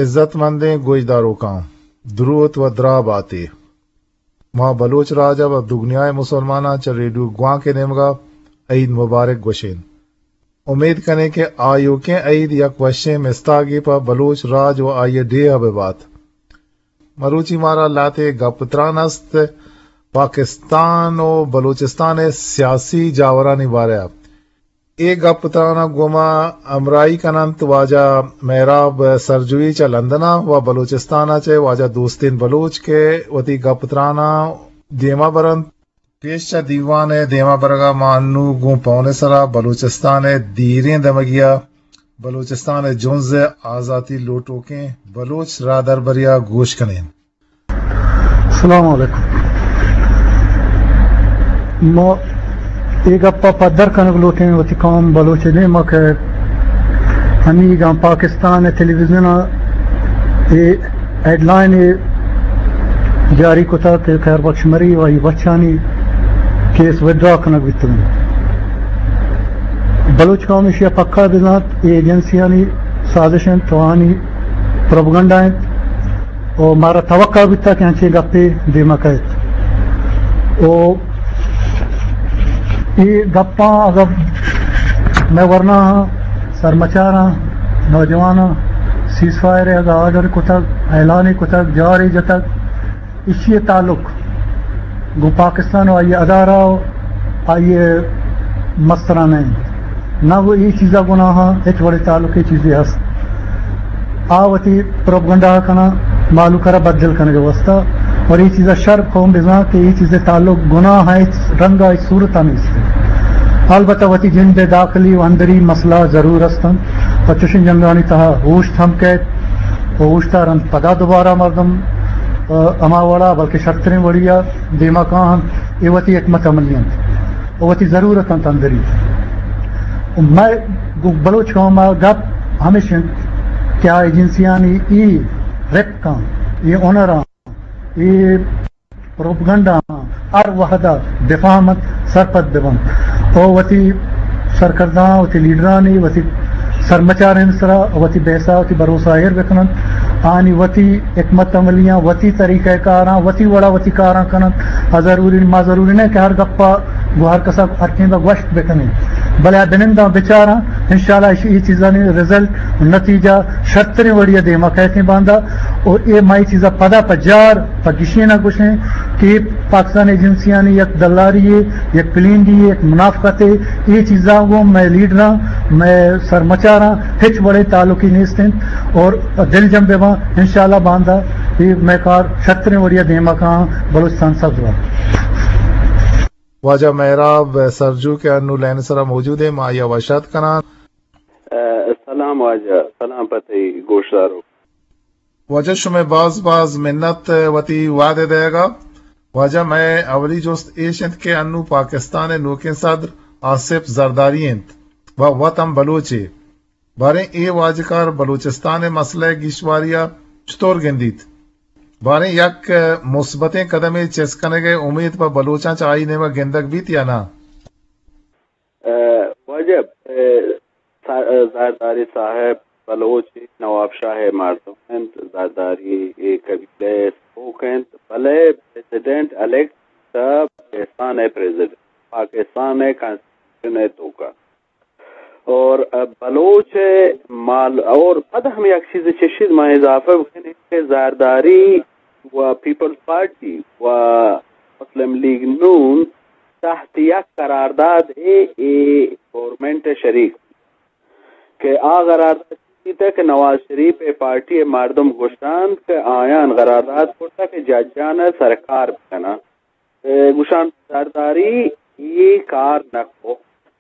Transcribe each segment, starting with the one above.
عزت مندیں گوشداروکاں، دروت و دراہ باتے۔ ما بلوچ راج ء و دگنیا ء مسلماناں چہ ریڈیو گوانک ء نیمگ ء عید مبارک گوشین۔ امیت کنیں کہ آیوکیں عید یک وشیں مستاگے پہ بلوچ راج و آئی ء ڈیھ ء بہ بات۔ مروچی مارا لہتے گپ تران است پاکستان و بلوچستان ء سیاسی جاورانی بارہ ء۔ اے گپ تران ء گوما ہمراہی کن انت واجہ مہراب سرجوئی چہ لندن ء و بلوچستان ء چہ واجہ دوستین بلوچ کہ وتی گپ تران ء دیما بر انت۔ پیش چہ دیوان ء دیما برگ ء ما انو گوں پون ء سرا بلوچستان ء دیریں دمگی ء بلوچستان ء جنز ء آزاتی لوٹوکیں بلوچ راہدربری ء گوش کنیں۔ السلام علیکم۔ ما اے گپ ء پدر کنگ لوٹیں وتی قوم بلوچ ء دیم ء کہ ہمیگاں پاکستان ء ٹیلی ویژن ء اے ہیڈ لائن ء جاری کتگ کہ خیر بخش مری و آئی بچانی کیس وڈرا کنگ بیتگ انت۔ بلوچ قوم ایشی ء پکا بزانت، اے ایجنسیانی سازش انت، آہانی پروپگنڈا انت۔ و مارا توقع بیتا کہ انچیں گپے دیما کئیت۔ و اے گپاں اگر مئے ورناہاں، سرمچاراں، نوجواناں، سیز فائر اگا آرڈر کتگ، اعلان کتگ، جارے جتگ، ایشی تعلق گوں پاکستان و آئی ادارہ و آئی مسترانہ انت۔ نہ وہ اے چیزا گناہ، ہچ وڑے تعلق اے چیزے ہست۔ آ وتی پروپگنڈا کناں مالوک را بددل کنگ واسطہ، اور اے چیزا شر قوم بزاں کہ اے چیزے تعلق گناہ ہے، ہچ رنگا ہچ صورتا نیست۔ البتہ وتی جند داخلی و اندری مسئلہ ضرور ہستن، و چشن جنگانی تہا ہوشت ہم کیت، و ہوشتا رند پدا دوبارہ مردم، آ، ہما وڑا بلکہ شرتریں وڑیا دیما کاہن، اے وتی حکمت عملی انت، و وتی ضرورت انت اندری۔ و مئے گوں بلوچ قوم ء گپ ہمیش انت کہ آ ایجنسیانی ای رپکاں، ای ہنراں، ای پروپگنڈاں ہر وہدا بفہمنت، سرپد ببنت۔ او وتی سرکرداں، وتی لیڈرانی، وتی سرمچارانی سرا وتی بحثا، وتی بھروسہ ایر بکننت۔ آنی وتی حکمت عملیاں، وتی طریقہ کاراں، وتی وڑا وتی کاراں کننت۔ آ ضروری، ما ضروری نہ کہ ہر گپا گوں ہر کسا ہر ٹیمبا گوشت بکنیں، بلے آ بننداں بچاراں، انشاءاللہ ایشی، اے چیزانی رزلٹ، نتیجہ شرتریں وڑی ء دیما کئیتیں باندا۔ و اے ما اے چیزا پدا پہ جار پہ گشین ء گوشیں کہ پاکستان ایجنسیانی یک دلاری یے، یک پلینڈی یے، یک منافقت یے، اے چیزاں گوں مئے لیڈراں، مئے سرمچاراں ہچ وڑیں تعلقی نیست انت اور دلجم بہ باں، انشاءاللہ باندا اے مئے کار شرتریں وڑی ء دیما کاں، بلوچستان سبز بات۔ واجہ مہراب سرجو کہ انو لائن سرا موجود ہیں، ما آئی ء وش آتک کناں۔ ء، سلام واجہ، سلام پہ تئی گوشداروک۔ واجہ شمئے باز باز منت وتی وہد ء دئیگ ء۔ واجہ مئے اولی جست ایش انت کہ انو پاکستان ء نوکیں صدر آصف زرداری انت و وت ہم بلوچے۔ باریں اے واجکار بلوچستان ء مسئلہ ء گیشواری ء چطور گندیت؟ باریں یک مثبتیں قدمے چست کنگ ء امیت پہ بلوچاں چہ آئی نیمگ گندگ بیت یا نہ؟ ء، واجہ، ء، سا-، ء، زرداری صاحب بلوچ نواب شاہ ء مردم انت، زرداری ء قبیلہ ء سروک انت، بلے پریزیڈنٹ الیکٹ پاکستان ء پریزیڈنٹ، پاکستان ء کانسٹیٹیوشن ء توکا۔ اور، ء، بلوچ ء مال، اور پد ہم یک چیز چشید ما اضافہ بکنیں کہ زرداری و پیپلز پارٹی و مسلم لیگ نون تحت یک قرارداد ء اے گورنمنٹ ء شریک کہ آ قرارداد چی بیتہ کہ نواز شریف ء پارٹی ء مردم گوشتنت کہ آیان قرارداد کرتہ کہ ججان ء سرکار بکناں۔ ء گوشان زرداری اے کار نہ کو۔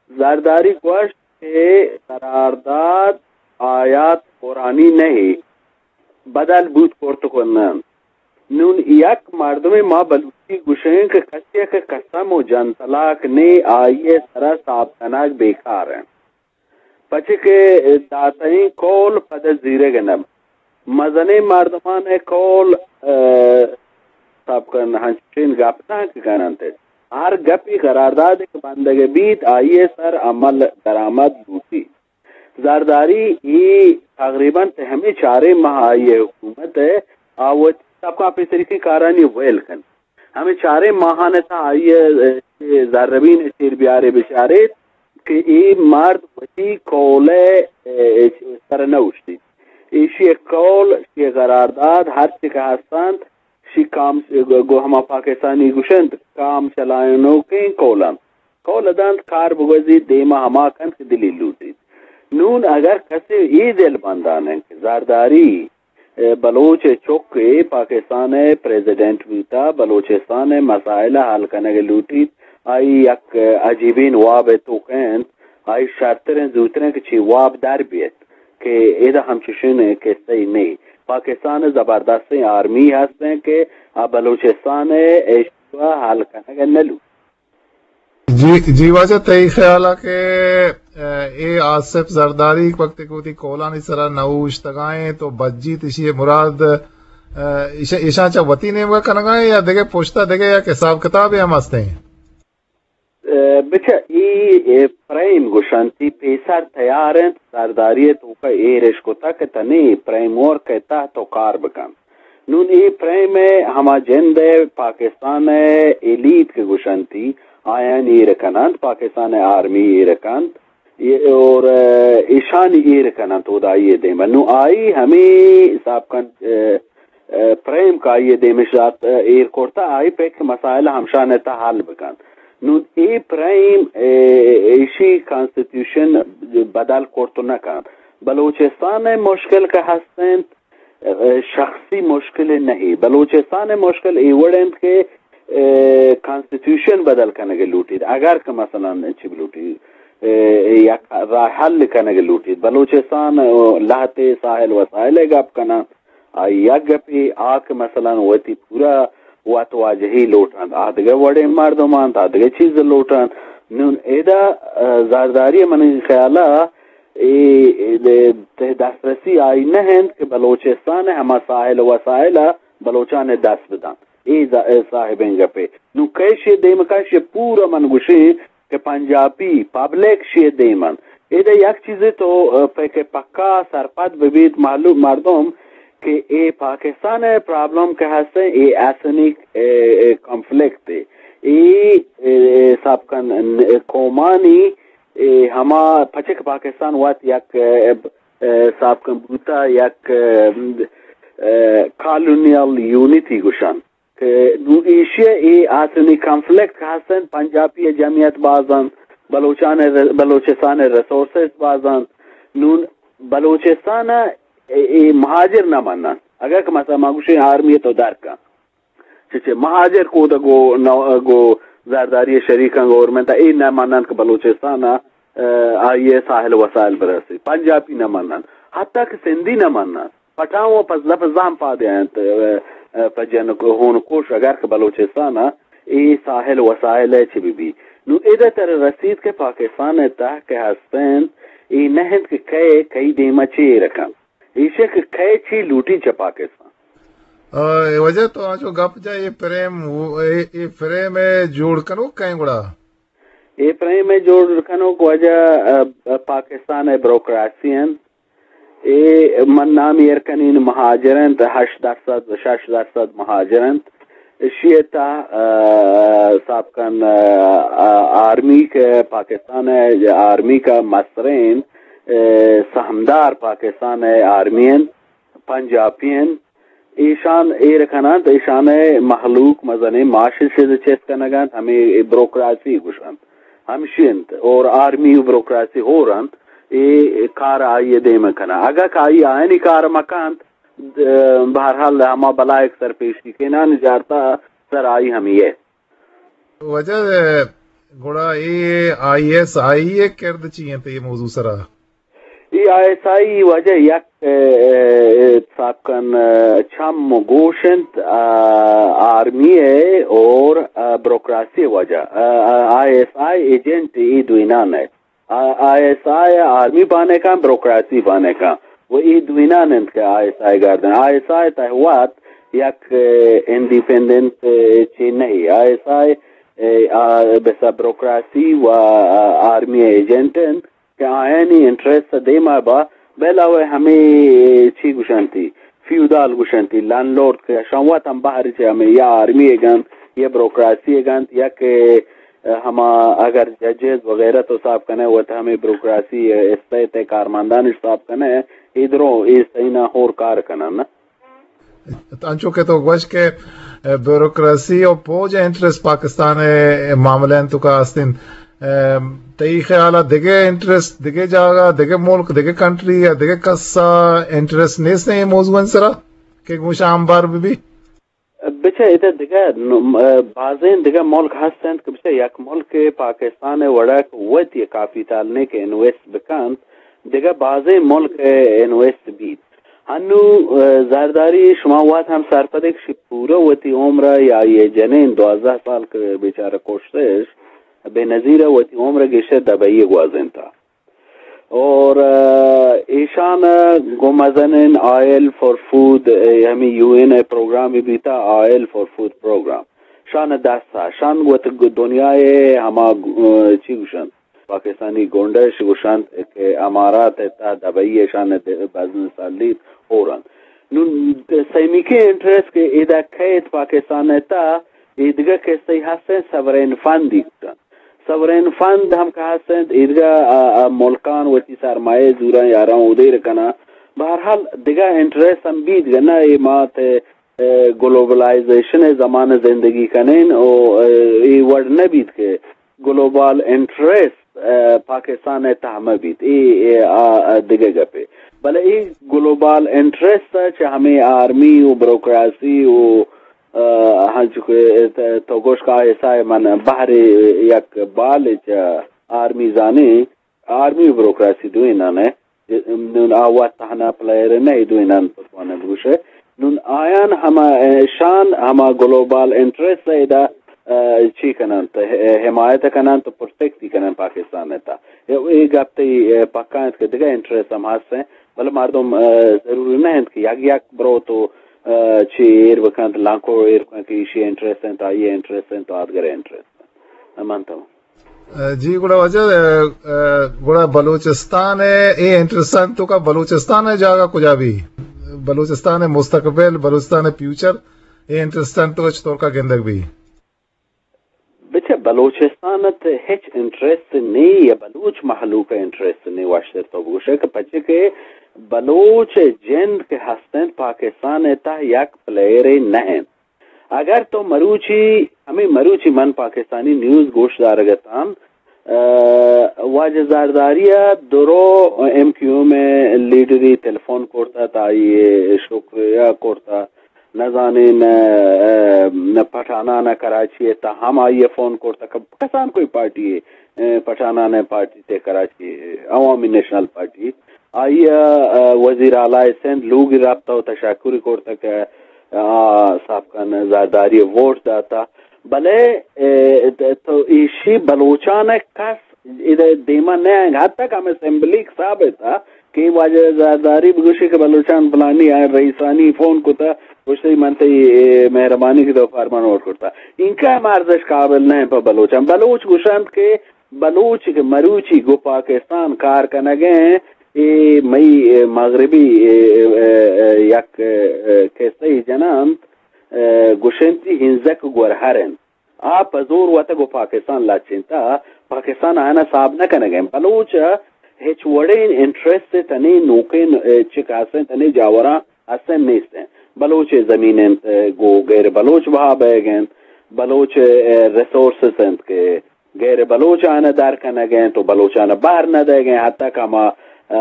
زرداری گوشت کہ قرارداد آیات قرآنی نہ اے، بدل بوت کرت کنن۔ نون یک مردم ما بلوچی گوشیں کہ کسی کہ قسم و جن طلاق نے آئی سرا صاحب کنگ بیکار ہیں۔ پچے کہ داتئیں قول پد زیرگ نہ بنت۔ مزنیں مردمان ء قول، ء، سب کن ہنچین گپ نہ کہ کننت۔ ہر گپی قرارداد کہ بندگ بیت، آئی سر عمل درآمد لوٹی۔ زرداری ای تقریباً تہ ہمے چاریں ماہ آئی ءِ حکومت ءَ آ وتی سبکاں پیسریکیں کارانی ویل کنت۔ ہمے چاریں ماہان ءِ تہ آئی ءَ، اے، زربین ءِ چیر بیارے بچاریت کہ اے مرد وتی قول ءِ، اے، سر نہ اوشتیت۔ ایشی ءِ قول، ایشی ءِ قرارداد، ہرچی کہ ہست انت، شی کام گو ہما پاکستانی گوشنت، کام چلائینوکیں قول انت۔ قول دنت کار بگوزیت، دیما ہما کنت کہ دلی لوٹیت۔ نون اگر کسے اے دل بندان انت کہ زرداری، اے، بلوچ ءِ چک ءَ پاکستان ءِ پریزیڈنٹ بوتا، بلوچستان ءِ مسائل ءَ حل کنگ لوٹیت، آئی یک عجیبیں واب ءِ توک ءَ انت، آئی شرتریں زوتریں کہ چی واب در بیت کہ ادا ہمچشیں قصہ ای نہیں۔ پاکستان ءَ زبردستیں آرمی ہستیں کہ آ بلوچستان ءِ ایشو ءَ حل کنگ ءَ نہ لوٹ۔ جی، جی واجہ، تئی خیال ءَ کہ، اے، اے آصف زرداری وقت کہ وتی قولانی سرا نہ اوشتگائیں تو بجیت، ایشی مراد، اے، ایش-، ایشاں چہ وتی نیمگا کنگائیں یا دگہ پشتا دگہ یک حساب کتابے ہم ہستیں؟ اے، بچہ، ای، اے، فریم گوشنتی پیسر تیار انت، زرداری توکا ایر اش کتا کہ تنے فریم ورک ءِ تحت تو کار بکن۔ نون اے فریم ءِ ہما جند ءِ پاکستان ءِ ایلیٹ کہ گوشنتی، آیان ایر کننت، پاکستان ءِ آرمی ایر کنت، اے، اور، اے، ایشانی ایر کننت اودائی ءِ دیما۔ نوں آئی ہمے حساب کن، اے، اے، فریم کہ آئی ءِ دیمش دات، اے، ایر کرتا، آئی پک مسائل ہمشان ءِ تہ حل بکنت۔ نوں اے فریم، اے، ایشی کانسٹیٹیوشن بدل کرت نہ کنت۔ بلوچستان ءِ مشکل کہ ہستنت، شخصی مشکل نہیں۔ بلوچستان ءِ مشکل اے وڑ انت کہ، اے، کانسٹیٹیوشن بدل کنگ لوٹیت۔ اگر کہ مثلاً چی بلوٹیت، اے، یک راہ حل کنگ لوٹیت۔ بلوچستان لہتے ساحل وسائل ءِ گپ کناں، آئی یک گپے آ کہ مثلاً وتی پورا وت واجہی لوٹنت، آ دگہ وڑیں مردم انت، آ دگہ چیز لوٹنت۔ نون ادا، اے، زرداری منی خیالا اے، اے، تہ دسترسی آئی نہ انت کہ بلوچستان ءِ ہما ساحل وسائل ءَ بلوچان ءَ دست بدنت۔ اے ز-، اے صاحبیں گپے۔ نوں کئے شی دیم کن، شی پورا من گوشیں کہ پنجابی پبلک شی دیم انت۔ ادا یک چیزے تو، اے، پہ کہ پکا سرپد ببیت معلوم مردم کہ اے پاکستان ءِ پرابلم کہ ہستیں، اے ایتھنک، اے، اے، کانفلکٹ اے۔ اے، اے، حساب کن، اے، قومانی اے ہما پچک پاکستان وت یک، اے، اے، حساب کن بوتا یک، اے، اے، کالونیل یونٹی گوشن کہ نوں ایشی ءَ اے آسنی کانفلکٹ کہ ہستن، پنجابی ءِ جمعیت باز انت، بلوچان ءِ ر-، بلوچستان ءِ ریسورسز باز انت۔ نون بلوچستان ءَ اے، اے مہاجر نہ منن۔ اگر کہ مثلاً ما گوشیں آرمی تو در کن، چہ، چہ مہاجر کود گو نو-، گو زرداری شریکاں گورنمنٹ اے نہ منن کہ بلوچستان ءَ، اے، آئی ءِ ساحل وسائل برسی۔ پنجابی نہ منن، حتی کہ سندھی نہ منن۔ پٹھان و پزلہ پزلہ ہم پادے انت، اے، اے، پہ جن کو-، ہون کوش اگر کہ بلوچستان ءَ اے ساحل وسائل ءَ چہ بہ بی۔ نو ادا تر رسید کہ پاکستان ءِ تہ کہ ہستنت، اے نہ انت کہ کئے کئی دیما چے ایر کنت۔ ایشی کہ کئے چی لوٹی چہ پاکستان۔ آ، اے واجہ تو آنچو گپ جا اے فریم، اے، اے فریم ءِ جوڑ کنوک کئے گڑا؟ اے فریم ءِ جوڑ کنوک واجہ، آ، پاکستان ءِ بروکراسی انت۔ اے من نام ایر کنین مہاجر انت، ہشت درصد، شش درصد مہاجر انت۔ ایشی ءِ تہ، آ، حساب کن، آ، آ، آرمی کہ پاکستان ءِ آرمی کا مسترین، اے، سہمدار پاکستان ءِ آرمی انت، پنجابی انت۔ ایشان ایر کننت، ایشان ءِ مہلوک مزنیں معاش چیز چست کنگ انت، ہمے بروکراسی گوشنت۔ ہمشی انت اور آرمی و بروکراسی ہور انت، اے کار آئی ءِ دیم ءَ کناں۔ اگاں کہ آئی آیانی کار مکنت، بہرحال ہما بلائیک سرپیشی کنان جارتا سر آئی ہمی ءِ۔ واجہ، گڑا اے آئی ایس آئی ءِ کرد چی انت اے موضوع سرا؟ اے آئی ایس آئی واجہ یک، اے، اے، حساب کن، اے، چم و گوش انت، آ، آرمی ءِ اور، آ، بروکراسی واجہ۔ آ، آ، آئی ایس آئی ایجنٹ اے دوینان ءِ۔ آ، آئی ایس آئی آرمی بانکاں، بروکراسی بانکاں۔ و اے دوینان انت کہ آئی ایس آئی گاردن۔ آئی ایس آئی تہ وت یک، اے، انڈیپینڈنٹ، اے، چی نہیں۔ آئی ایس آئی، اے، آ، بس بروکراسی و، آ، آرمی ایجنٹ انت۔ کہ آیانی انٹرسٹ دیما با بہ علاوہ ہمے چی گوشنتی، فیودال گوشنتی، لینڈ لارڈ کہ اشان وت ہم بہر چہ ہمے یا آرمی ء گنت، یا بروکراسی ء گنت، یا کہ ہما اگر ججز وغیرہ تو صاف کنے وت ہمے بروکراسی ء استیت ء کارمندان صاف کنے، ادرو اے سینا ہور کار کنن۔ انچو کہ تو گوش کہ، اے، بیوروکریسی و پوج ء انٹرسٹ پاکستان ء معاملہ انت تو کا استن۔ اے، تئی خیال ء دگہ انٹرسٹ، دگہ جاگہ، دگہ ملک، دگہ کنٹری یا دگہ کس ء انٹرسٹ نیست ایں اے موضوع سرا کہ گوشاں ہمبار بہ بی؟ بچہ، ادا دگہ نم-، اے، بازیں دگہ ملک ہست انت کہ بچہ یک ملک پاکستان ء وڑا کہ وت یہ کاپیتال نے کہ انویسٹ بکنت، دگہ بازیں ملک ء انویسٹ بیت۔ ہنو، اے، زرداری شما وت ہم سرپدے کہ شی پورا وتی عمر ء یا یہ جنین دوازدہ سال کہ بیچارہ کشتش، بے نظیر ء وتی عمر ء گیشتر دبئی ء گوازینتا۔ اور، اے، ایشان ء گوں مزنین آئل فار فوڈ، اے، ہمیں یو این ء پروگرام بیتا، آئل فار فوڈ پروگرام۔ شان دست ء، شان وت دنیا ء ہما، اے، چی گوشن؟ پاکستانی گونڈش گوشنت کہ امارات ء تہ دبئی ء شان بزنس لیت ہورنت۔ نون سیمیکیں انٹرسٹ کہ ادا کیت پاکستان ء تہ، ایدگہ کسے ہستیں سورین فند گوشنت۔ سورین فند ہم کہ ہستیں ایدگہ، آ، آ، ملکان وتی سرمایہ زوراں یاراں اودیر کناں۔ بہرحال دگہ انٹرسٹ ہم بیت گہ نہ اے مات، اے، گلوبلائزیشن ء زمانہ زندگی کنین و، اے، اے وڑ نہ بیت کہ گلوبل انٹرسٹ، اے، پاکستان ء تہ مہ بیت۔ اے، اے، آ، آ، دگہ گپے۔ بلے اے گلوبل انٹرسٹ ء چہ ہمیں آرمی و بروکراسی و، اے، ہنچو کہ ت-، تو گوش کہ آئی ایس آئی من بہر یک بال چہ آرمی زانے، آرمی و بروکراسی دوئینان ء۔ نون آ وت تہنا پلیئر نہ، اے دوئینان پتوانہ بگوشے۔ نون آیان ہما، اے، شان ہما گلوبل انٹرسٹ ء ادا، اے، چی کننت، اے، حمایت کننت و پروٹیکٹ کننت پاکستان ء تا۔ اے، اے گپ تئی، اے، پکا انت کہ دگہ انٹرسٹ ہم ہست ہیں، بلے مردم، اے، ضروری نہ انت کہ یک یک برو تو، اے، چی ایر بکنت، لانکو ایر بکنت کہ ایشی انٹرسٹ انت، آئی انٹرسٹ انت، آدگر انٹرسٹ انت۔ من تو۔ جی، گڑا واجہ، اے، اے، گڑا بلوچستان ء اے انٹرسٹ انت تو کا بلوچستان ء جاگہ کجا بی؟ بلوچستان ء مستقبل، بلوچستان ء فیوچر، اے انٹرسٹ انت تو چطور کا گندگ بی؟ بچہ، بلوچستان ء ہچ انٹرسٹ نی یا بلوچ مخلوق ء انٹرسٹ نی، واشتر تو بگوشے کہ پچے کہ بلوچ جند کہ ہستن پاکستان ء تہ یک پلیئر نہ انت۔ اگر تو مروچی، ہمیں مروچی من پاکستانی نیوز گوش دارگ اتان، اے، واجہ زرداری ء درو ایم کیو ایم ء لیڈری تلفون کرتا تا آئی شکریہ کرتا، نزانین، اے، پٹھانان ء کراچی ء تا ہم آئی ء فون کرتا، ک-، کسان کوئی پارٹی ء، اے، پٹھانان ء پارٹی تے کراچی، عوامی نیشنل پارٹی، آئی ء، اے، وزیر اعلی سندھ لوگ رابطہ و تشکری کرتا کہ آ، صاحب خان زرداری ووٹ داتا، بلے، اے، تو ایشی بلوچان کس ادا دیما نہ آئیں، حتی کہ ہم اسمبلی ثابت تھا کہ واجہ زرداری بگوشی کہ بلوچان فلانی آئیں رئیسانی فون کتا، گوشتی من تئی، اے، مہربانی کی تو فرمان ووٹ کرتا۔ انکا ہم ارزش قابل نہ پہ بلوچان۔ بلوچ گوشند کہ بلوچ کہ مروچی گو پاکستان کار کنگیں، اے مئی، اے، مغربی، اے، اے، اے، یک، اے، کسے جنانت، اے، گوشنتی ہنزک گورہر انت۔ آ پہ زور وتگ و پاکستان لچینتا، پاکستان آیانا صاحب نہ کنگیں۔ بلوچ ہچ وڑیں انٹرسٹ تنے نوکیں، اے، چک ہستیں تنے جاوراں ہستیں نیستیں۔ بلوچ زمین انت، اے، گو غیر بلوچ بہا بئیگ انت۔ بلوچ، اے، ریسورسز انت کہ غیر بلوچ آناں در کنگ ء انت و بلوچ آناں بہر نہ دئیگ ء انت، حتی کہ ہما، ا،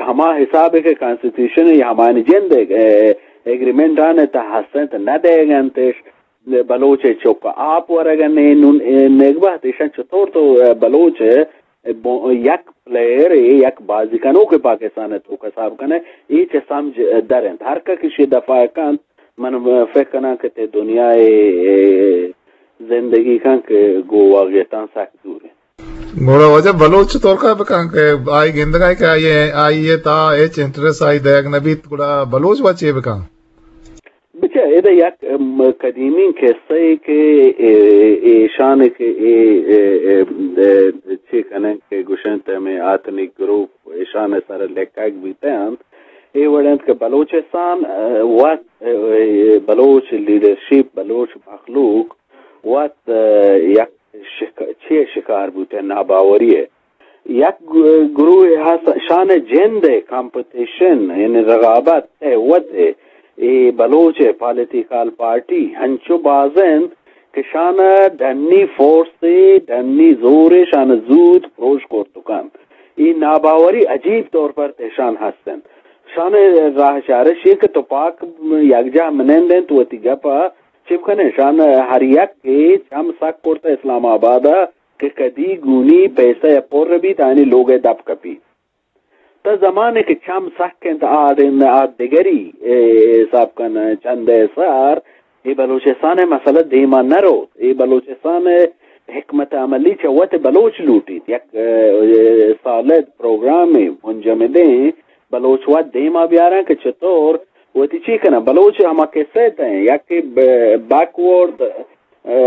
ہما حساب ء کہ کانسٹیٹیوشن یا ہمایانی جند ء، ا، ایگریمنٹ آناں تہ ہست انت نہ دئیگ ء انت اش۔ بلوچ ء چک ء آپ ورگ ء نے نون، ا، نگبہت ایشاں چطور تو، ا، بلوچ ء بو-، یک پلیئر ء یک بازی کنوک ء پاکستان ء توک ء حساب کن ئے، اے چہ سمجھ در انت۔ ہر کس ایشی ء دفاع کنت، من فکر کناں کہ تے دنیا ء زندگی کن کہ گوں واقعیتاں سک دور انت۔ گڑا واجہ بلوچ چطور کا بکن کہ آئی گندگا کہ آئی، آئی ء تا ہچ انٹرسٹ آئی دئیگ نہ بیت، گڑا بلوچ وا چے بکن؟ بچہ، ادا یک، ام، قدیمی قصہ ای کہ، اے، ایشان کہ اے، اے، اے، اے، چی کنن کہ گوشنت ہمیں آتنی گروپ ایشان سر لکھگ بیتے انت۔ اے وڑ انت کہ بلوچستان، اے، وت، اے، اے، بلوچ لیڈرشپ، بلوچ مخلوق وت، اے، یک شک-، چی شکار بوتے، ناباوری ہے۔ یک گ-، گروہ ہست، شان جند ء کمپٹیشن، یعنی رقابت ء وت ء اے بلوچ ء پالیٹیکل پارٹی ہنچو باز انت کہ شان ڈنی فورس ء ڈنی زور ء شان زوت پروش کرت کنت۔ اے ناباوری عجیب طور پر تشان ہست انت۔ شان راہ چارش یہ کہ تپاک یکجاہ منند انت، وتی گپ ء چپ کنے۔ شان ہر یک کہ چم سک کرت اسلام آباد ء کہ کدی گونی پیسہ ء پر بیت، آنی لوگ ء دپ کپیت۔ تا زمانے کہ چم سک انت، آ دن، آ دگری، اے، حساب کن، چند ء سر، اے بلوچستان ء مسئلہ دیما نہ روت۔ اے بلوچستان ء حکمت عملی چہ وت بلوچ لوٹیت۔ یک، اے، سالد پروگرامے منجمدیں بلوچ وت دیما بیاراں کہ چطور وتی چی کناں۔ بلوچ ہما قصہ ء تہ، یک کہ ب-، بیکورڈ، اے،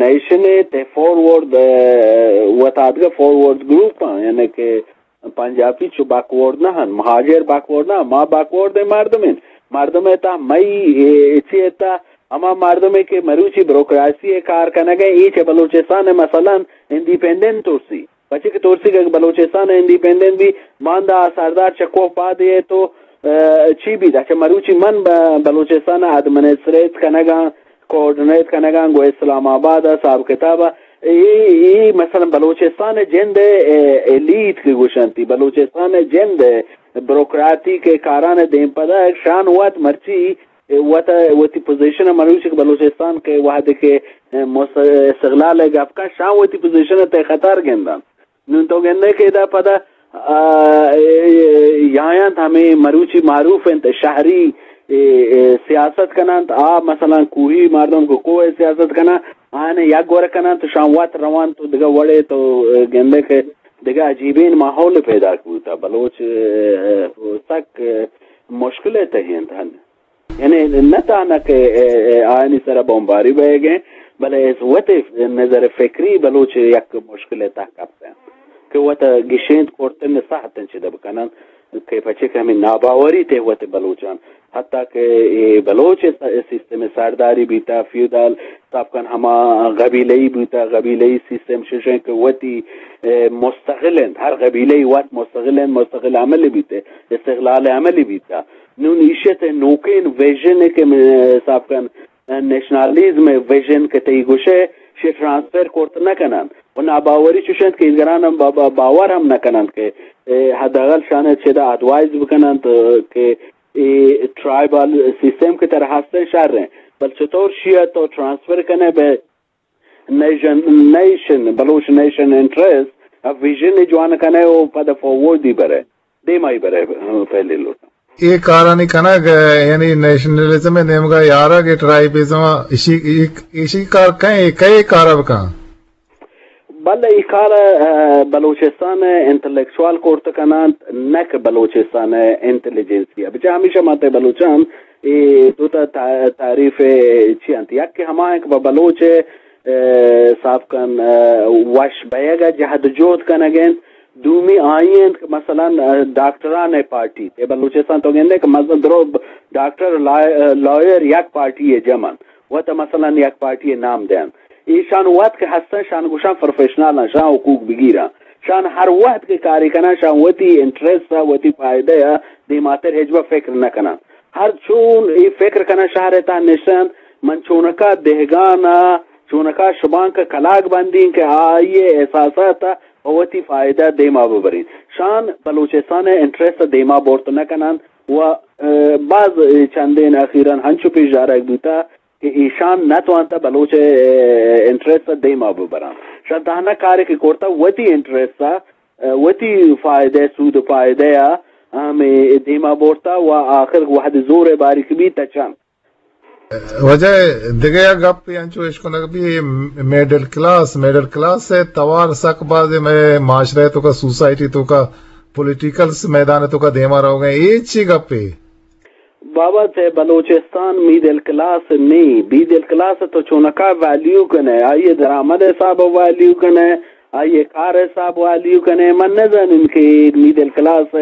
نیشن ء تہ فارورڈ، اے، وت آدگہ فارورڈ گروپ آں، یعنی کہ پنجابی چو بیکورڈ نہ ہن، مہاجر بیکورڈ نہ، ما بیکورڈ مردم ہیں۔ مردم ء تہ مئی، اے، چی ء تہ ہما مردم ء کہ مروچی بروکراسی ء کار کنگ ء، اے چہ بلوچستان ء مثلاً انڈیپینڈنٹ ترسی۔ پچے کہ ترسی کہ بلوچستان ء انڈیپینڈنٹ بی، باندا آ سردار چکو پاد ء تو، اے، چی بیت؟ اچھا، مروچی من ب-، بلوچستان ء ایڈمنسٹریٹ کنگ ء، کوآرڈینیٹ کنگ ء گوں اسلام آباد ء حساب کتاب ء۔ اے، اے مثلاً بلوچستان ء جند ء، اے، ایلیٹ کہ گوشنتی، بلوچستان ء جند ء بروکراٹک ء کاران ء دیم پدا شان وت مرچی، اے، وت، وتی پوزیشن ء مروچی کہ بلوچستان کہ وہدے کہ، اے، مس-، استقلال ء گپ کن، شان وتی پوزیشن ء تہ خطر گندن۔ نون تو گندے کہ ادا پدا، آ، اے، اے، یایاں ہمیں مروچی معروف انت، شہری، اے، اے، سیاست کننت، آ مثلاً کوہی مردم کو کوہ سیاست کنن، آنے یک گور کنن تو شان وت روان تو دگہ وڑے تو، اے، گندے کہ دگہ عجیبین ماحول پیدا کوتا۔ بلوچ، اے، اے، سک، اے، مشکل تہ انت ہن۔ یعنی نہ تہنا کہ، اے، اے، آیانی سرا بمباری بئیگ انت، بلے از وت نظر فکری بلوچ یک مشکل ء تہ کپت انت کہ وت گشینت کرتن ساعت انت چد بکنن کہ پچے کہ ہمیں ناباوری تے وت بلوچان، حتی کہ اے بلوچ س-، سیستم سرداری بیتا، فیودال، صاحب کن ہما قبیلہی بیتا، قبیلہی سیستم ششن کہ وتی، اے، مستقل انت، ہر قبیلہی وت مستقل انت، مستقل عمل بیتے، استقلال عملی بیتا۔ نون ایشت نوکین ویژن کہ میں صاحب کن نیشنلزم ویژن کہ تئی گوشے، شے ٹرانسفر کرت نہ کنن۔ و ناباوری چوش انت کہ ایدگران ہم با-، با-، باور ہم نہ کنن کہ، اے، حداقل شان چدا ایڈوائز بکنن تو کہ اے ٹرائبل سیستم کہ تر ہستن شر ہیں۔ بل چطور شیعہ تو ٹرانسفر کنے بے نیشن، نیشن، بلوچ نیشن انٹرسٹ، ا ویژن جوان کنے و پد فارورڈی برے، دیمائی برے، پہلے لوٹاں۔ اے کارانی کنگ، یعنی نیشنلزم نیمگا یارگ، اے ٹرائبزم، اشی، ایشی کار کئے، کئے کارا بکن؟ بلے اے کار، ا، بلوچستان انٹلیکچوال کرت کنانت، نہ کہ بلوچستان انٹیلیجنسیا۔ بچہ ہمیشہ ماتے بلوچان اے دو تا تا-، تعریف چی انت؟ یک کہ ہما ہیں کہ با بلوچ، اے، صاحب کن، اے، وش بیگ ء جہد جہد کنگ انت۔ دومی آئی انت کہ مثلاً، اے، ڈاکٹران پارٹی، اے بلوچستان تو گندے کہ مثلاً درو ڈاکٹر لا-، لائر یک پارٹی جمع انت، و تا مثلاً یک پارٹی نام دینت۔ ایشان وت کہ ہستن، شان گوشان پروفیشنل ہیں، شان حقوق بگیرن۔ شان ہر وقت کہ کاری کنن، شان وتی انٹرسٹ ء، وتی فائدہ ء دیماتر ہچبر فکر نہ کنن۔ ہر چون اے فکر کنن، شہر ء تہ نشتن، من چونکا دہگان ء، چونکا شبانک ء کلاگ بندین کہ آئی ء احساسات ء پہ وتی فائدہ دیما ببرین۔ شان بلوچستان ء انٹرسٹ ء دیما برت نہ کنن و، ء، باز چندین اخیراً ہنچو پیش دارگ بوتا کہ ایشان نہ توانتا بلوچ ء انٹرسٹ ء دیما ببران۔ شان تہنا کارے کہ کرتا وتی انٹرسٹ ء، وتی فائدہ، سود و فائدہ ء ہمے دیما برتا و آخر وہد زور ء باریک بیت چن۔ واجہ، دگہ یک گپے انچو اشکنگ بی، مڈل کلاس، مڈل کلاس ء توار سک باز مئے معاشرہ توکا، سوسائٹی توکا، پولیٹیکل میدان توکا دیما روگ ء۔ اے چی گپے؟ بابا، تہ بلوچستان میڈل کلاس نی، میڈل کلاس تو چونکا ویلیو کنے، آئی درآمد حساب ویلیو کنے، آئی کار حساب ویلیو کنے، من نزانم کہ میڈل کلاس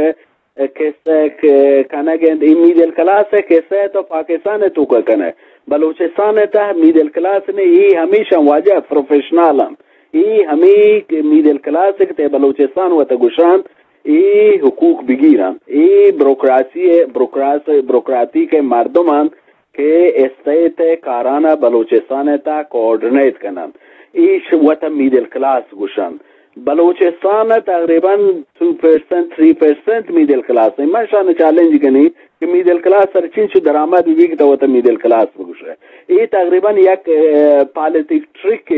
کسہ ک-، کنگ انت، ای میڈل کلاس کسہ تو پاکستان توکا کنے۔ بلوچستان تہ میڈل کلاس نی، ای ہمیشہ واجہ پروفیشنل انت۔ ای ہمی کہ میڈل کلاس کہ تہ بلوچستان وت گوشنت، ای حقوق بگیرنت۔ ای بروکراسی، بروکراس، بروکراتیک مردم انت کہ اسٹیٹ کاران بلوچستان تا کوآرڈینیٹ کننت۔ ایش وت میڈل کلاس گوشنت۔ بلوچستان تقریباً ٹو پرسنٹ، تھری پرسنٹ میڈل کلاس انت۔ من شان چیلنج کنی کہ میڈل کلاس سر چنچو درآمد بی کہ تو وت میڈل کلاس بگوشے۔ ای تقریباً یک، اه، پالیٹک ٹرک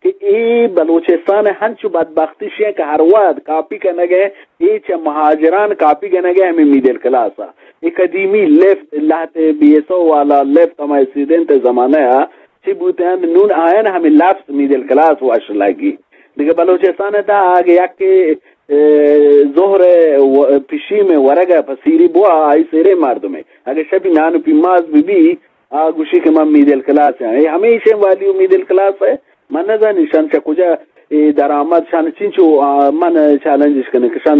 کہ اے بلوچستان ء ہنچو بدبختی شے کہ ہر وہد کاپی کنگ ء، اے چہ مہاجران کاپی کنگ ء ہمے میڈل کلاس ء۔ اے قدیمی لفٹ، لہتے بی ایس او والا لفٹ ہما ایکسیڈنٹ ء زمانہ ء چی بوتنت، نون آیان ہمے لفظ میڈل کلاس وش لگی۔ دگہ بلوچستان ء تہ اگہ یک، اے، ظہر ء و-، پشیم ء ورگ ء پسیری بوا، آئی سیرے مردمے۔ اگہ شپی نان و پیماز بہ بی، آ گوشی کہ من میڈل کلاس آں۔ اے ہمیشیں ویلیو میڈل کلاس ء۔ من نزانی شان چہ کجا اے درآمد، شان چنچو، آ، من چیلنجش کنیں کہ شان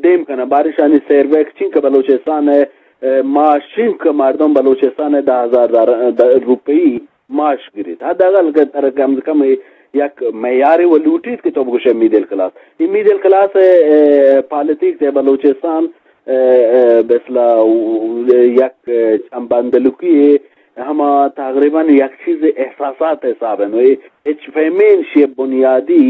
دیم کناں۔ باریں شانی سیرویک چنکہ بلوچستان ء، اے، معاش چنکہ مردم بلوچستان ء دہ ہزار دار-، د-، روپی معاش گریت۔ حداقل کہ ترا کم از کم یک معیارے و لوٹیت کہ تو بگوشے میڈل کلاس۔ اے میڈل کلاس ء، اے، پالیٹکس ء بلوچستان ء، ء، بسلا یک چمبندلکی ہما تقریباً یک چیز احساسات حساب انت۔ ہچ پیمیں شی بنیادی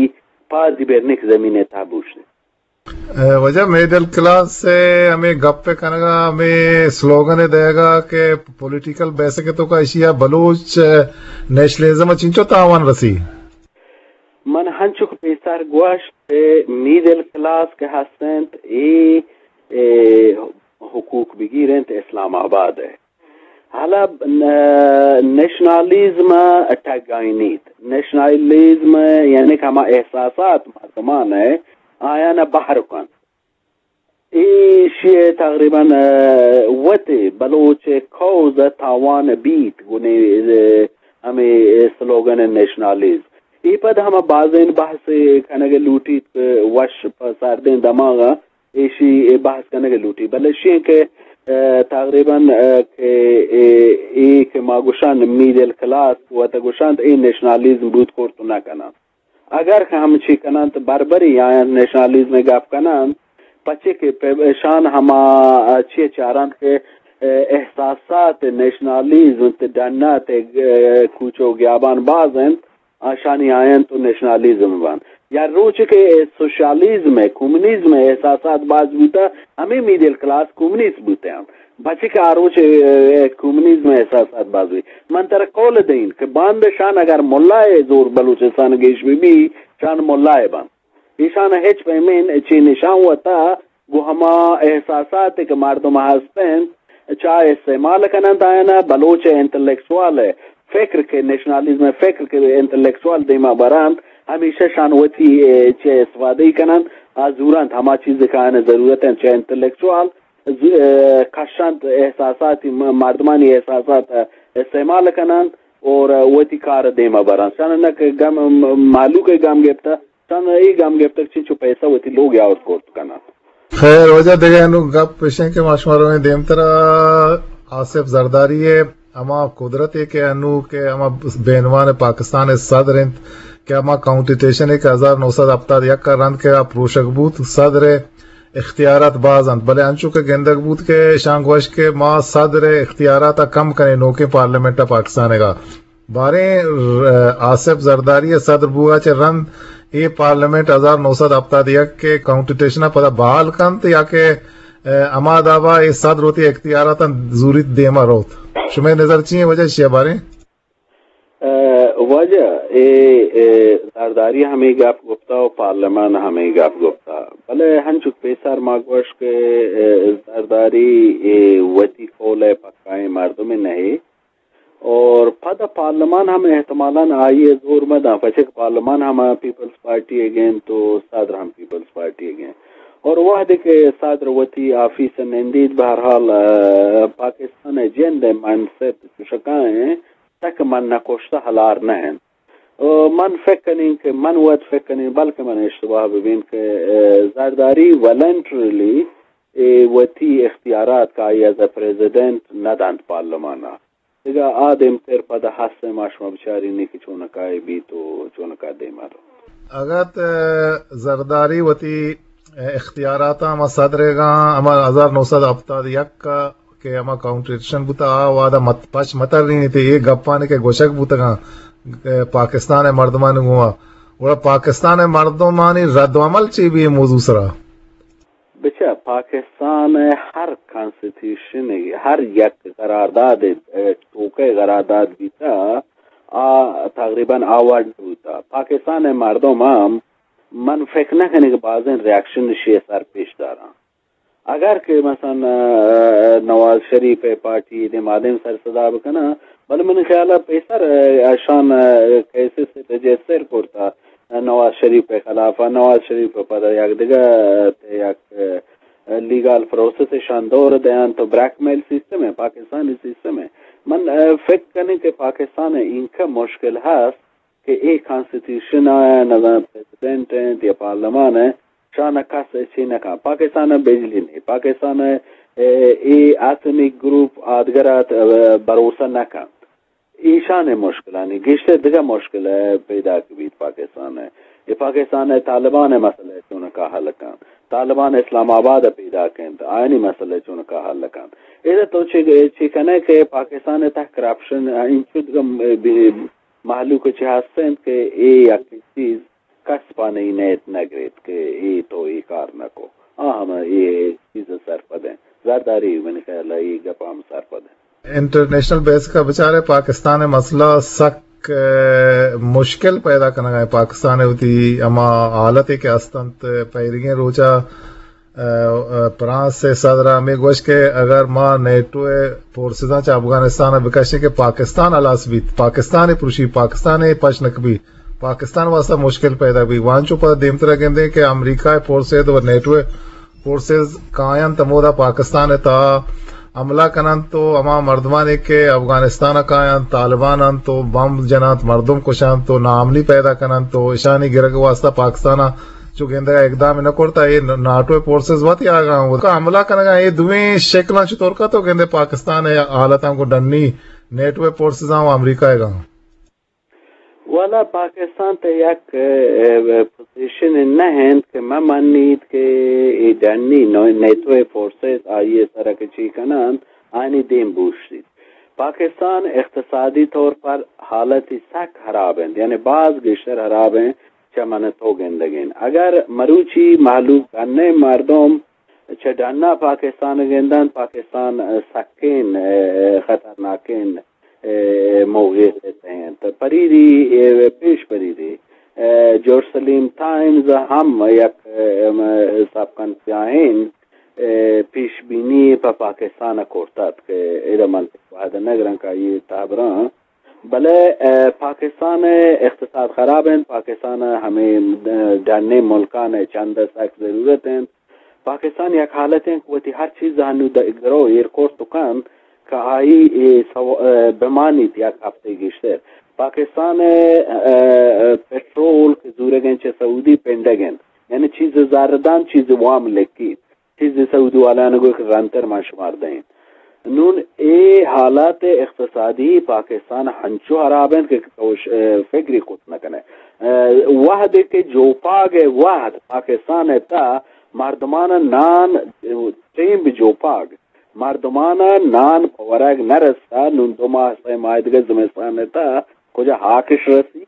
پادی برنک زمین ء تابوش۔ ء، واجہ میڈل کلاس ء ہمے گپ ء کنگا، ہمے سلوگن ء دئیگا کہ پولیٹیکل بیسک ء توکا ایشی ء بلوچ نیشنلزم ء چنچو تاوان رسی؟ من ہنچک پیسر گوشت کہ میڈل کلاس کہ ہست انت، اے، اے حقوق بگیر انت اسلام آباد ء۔ حالا ن-، نیشنالیزم ء ٹگائینیت۔ نیشنالیزم یعنی کہ ہما احساسات مردمان ء آیان ء بہر کنت۔ ایشی ء تقریباً، ء، وت بلوچ ء کوز ء تاوان بیت گوں، ء، ہمے سلوگن نیشنالیزم۔ اے پد ہما بازیں بحث کنگ لوٹیت کہ وش پہ سردیں دماغ ء ایشی ء بحث کنگ لوٹی، بلے ایشی کہ، ء، تقریباً، ء، کہ اے، اے کہ ما گوشان میڈل کلاس وت گوشان اے نیشنالیزم بوت کرت نہ کنان۔ اگر کہ ہمچی کننت، بربری آیان نیشنالیزم ء گپ کننت، پچے کہ پہ اشان ہما چی چارنت کہ احساسات نیشنالیزم تے ڈنا تے کوچو گیابان باز انت، آشانی آیان تو نیشنالیزم بان۔ یا روچ کہ سوشیالیزم ء، کمیونزم ء احساسات باز بوتا، ہمیں میڈل کلاس کمیونسٹ بوتے ہیں۔ بچے کہ آ روچ، ء، کمیونزم ء احساسات باز ہوئی۔ من ترا قول دئین کہ باند شان اگر ملا ء زور بلوچستان گیش بی بی، شان ملا ء بان۔ ایشان ہچ پیمیں چی نشان وتا گو ہما احساسات کہ مردم ہستن، چا استعمال کننت آیانا بلوچ انٹلیکچوال فکر کہ نیشنلزم فکر کہ انٹلیکچوال دیما برانت، ہمیشہ شان وتی، ء، چہ استفادہ کننت، آ زورنت ہما چیز کہ آیانا ضرورت انت چہ انٹلیکچوال ز-، ء، کشنت احساساتی م-، مردمانی احساسات ء استعمال کننت اور وتی کار دیما برنت۔ شان نہ کہ گم، م-، مالوک گم گپتہ، شان اے گم گپتہ چنچو پیسہ وتی لوگ آورت کرت کننت۔ خیر، واجہ دگہ انو گپ پیشیں کہ ما شما رویں دیمترا آصف زرداری ء ہما قدرت ء کہ انو کہ ہما بینوان پاکستان ء صدر انت کہ ہما کانسٹیٹیوشن ء کہ ہزار نو سد ہپتاد یک ء رند کہ آ پروشگ بوت، صدر ء اختیارات باز انت، بلے انچو کہ گندگ بوت کہ شان گوشت کہ ما صدر ء اختیارات ء کم کنیں نوکیں پارلیمنٹ ء پاکستان ء۔ باریں ر-، آصف زرداری ء صدر بوگا چہ رند اے پارلیمنٹ ہزار نو سد ہپتاد یک ء کانسٹیٹیوشن ء پدا بحال کنت یا کہ، ء، ہما دابا اے صدر وتی اختیاراتاں زوریت دیما روت؟ شمئے نظر چی انت واجہ ایشی ء باریں؟ ء، واجہ، اے، اے، زرداری ہمے گپ گپتا و پارلیمان ہمے گپ گپتا، بلے ہنچک پیسر ما گوش کہ، اے، زرداری، اے، وتی قول ء پکائیں مردمے نہ اے۔ اور پد پارلیمان ہم احتمالاً آئی ء زور مہ داں، پچک پارلیمان ہم پیپلز پارٹی ء گین تو صدر ہم پیپلز پارٹی ء گین۔ اور وہدے کہ صدر وتی آفیس ءَ نندیت، بہرحال، آ، پاکستان ءِ جند ءِ مائنڈ سیٹ چوشکا ایں، تک من نہ کشتہ ہلار نہ انت۔ آ، من فکر کنیں کہ من وت فکر کنیں، بلکہ من اشتباہ ببین کہ، آ، زرداری والنٹریلی اے وتی اختیارات کہ آئی ایز اے پریزیڈنٹ نہ دنت پارلیمان ءَ۔ دگہ آ دیمتر پدا ہست ایں، ما شما بچارینی کہ چونکا اے بیت و چونکا دیما رو۔ اگت زرداری وتی اختیاراتاں ہما صدر ءَ گاں، ہما ہزار نو سد ہپتاد یک ءَ کہ ہما کانسٹیٹیوشن بوتا، آ وہدا مت-، پش مترینیت اے گپانی کہ گوشگ بوتگاں، اے، پاکستان ءِ مردمانی گوما، گڑا پاکستان ءِ مردمانی رد و عمل چی بی اے موضوع سرا؟ بچار، پاکستان ءِ ہر کانسٹیٹیوشن، ہر یک قرارداد، اے، توکہ قرارداد بیتا، آ تقریباً آ وڑ بوتا۔ پاکستان ءِ مردم ہم من فکر نہ کنیں کہ بازیں ریاکشن اشی ءِ سر پیش داراں۔ اگر کہ مثلاً، آ، نواز شریف ءِ پارٹی دیم آ دیم سر صدا بکناں، بلے منی خیال ءَ پیسر، آ، اشان، آ، کیسز رجسٹر کرتا، آ، نواز شریف ءِ خلاف ءَ، نواز شریف ءَ پدا یک دگہ، آ، یک، آ، لیگل پروسیس اشان دور دیان تو بلیک میل سسٹم ایں، پاکستانی سسٹم ایں۔ من، آ، فکر کنیں کہ پاکستان ءَ اینکہ مشکل ہست کہ اے کانسٹیٹیوشن ءَ نظام پریزیڈنٹ انت یا پارلیمان انت، شان ءَ کس چی نہ کن۔ پاکستان ءَ بجلی نہیں، پاکستان ءَ، اے، اے ایتھنک گروپ آدگر ءَ، اے، بھروسہ نہ کنت۔ ایشان ءِ مشکلانی گیشتر دگہ مشکل ءَ پیداک بیت پاکستان ءَ۔ اے پاکستان ءِ طالبان ءِ مسئلہ چونکا حل کنت؟ طالبان اسلام آباد ءَ پیداک انت، آیانی مسئلہ چونکا حل کنت؟ ادا تو چی، چی کنے کہ پاکستان ءِ تہ کرپشن انچو دگہ بی-، مہلوک چہ ہست انت کہ اے یک چیز کس پہ نئی نیت نہ گریت کہ اے تو اے کار نہ کو۔ آ ہم اے چیز سرپد انت۔ زرداری منی خیال ءَ اے گپ ہم سرپد انت۔ انٹرنیشنل بیسک ءَ بچارے پاکستان ءِ مسئلہ سک، اے، مشکل پیدا کنگ ءَ انت۔ پاکستان ءِ وتی ہما حالتے کہ ہست انت پیریگیں روچ ءَ ءَ، ءَ، فرانس ءِ صدر ءَ ہمے گوشت کہ اگر ما نیٹو ءِ فورسزاں چہ افغانستان ءَ بکشیں کہ پاکستان ہلاس بیت، پاکستان ءِ پروشی، پاکستان ءِ پش نہ کپی، پاکستان ءِ واستہ مشکل پیدا بی۔ وانچو پدا دیمتر ءَ گندیں کہ امریکہ ءِ فورسز و نیٹو ءِ فورسز کاینت ہمودا پاکستان ءِ تہا حملہ کننت و ہما مردمانے کہ افغانستان ءَ کاینت، طالبان انت و بمب جننت، مردم کشنت و ناامنی پیدا کننت و اشانی گرگ ءِ واستہ پاکستان ءَ چو گندگ ءَ اقدام نہ کرتا، اے ناٹو ءِ فورسز وت یاگاں و حملہ کنگا، اے دوئیں شکلاں چطور کا تو گندے پاکستان ءِ حالتاں کو ڈنی نیٹو ءِ فورسزاں و امریکہ ءَ گاں؟ والا پاکستان تہ یک، اے، پوزیشن نہ انت کہ مہ منیت کہ اے ڈنی نو-، نیٹو ءِ فورسز آئی ءِ سرا کہ چی کننت، آنی دیم بوشیت۔ پاکستان اقتصادی طور پر حالتی سک خراب انت، یعنی باز گیشتر خراب انت چہ من تو گندگین۔ اگر مروچی مہلوک ڈنیں مردم چہ ڈنا پاکستان گندنت، پاکستان سکین، اے، خطرناکین، اے، موقع ءِ تہ انت۔ پریری، اے، پیش پریری، اے، جیروسلم ٹائمز ہم یک، اے، م-، سب کنفیاہین، اے، پیش بینی پہ پاکستان کرتگ کہ ادا من وہد نگران کہ آئی تابراں، بلے، اے، پاکستان اقتصاد خراب انت، پاکستان ہمے، اے، ڈنیں ملکان چند سک ضرورت انت۔ پاکستان یک حالت انت کہ وتی ہر چیز ہنو د-، گرو ایر کرت و کنت کہ آئی اے سو-، اے، بمانیت یک ہفتے گیشتر۔ پاکستان ءِ، اے، اے، پٹرول کہ زورگ انت چہ سعودی پنڈگ انت، یعنی چیز زر دنت، چیز وام لکیت، چیز سعودی والان گوشت کہ رندتر من شمار دئیں۔ نون اے حالات اقتصادی پاکستان ہنچو خراب انت کہ تو ش-، اے، فکری کت نہ کنے۔ اے، وہدے کہ جوپاگ ءِ وہد پاکستان ءِ تہ مردمان نان ٹیم بہ جوپاگ، مردمان نان پہ ورگ نہ رستا، نون دو ماہ سہ ماہ دگہ زمستان ءِ تہ کجا ہاکش رسی؟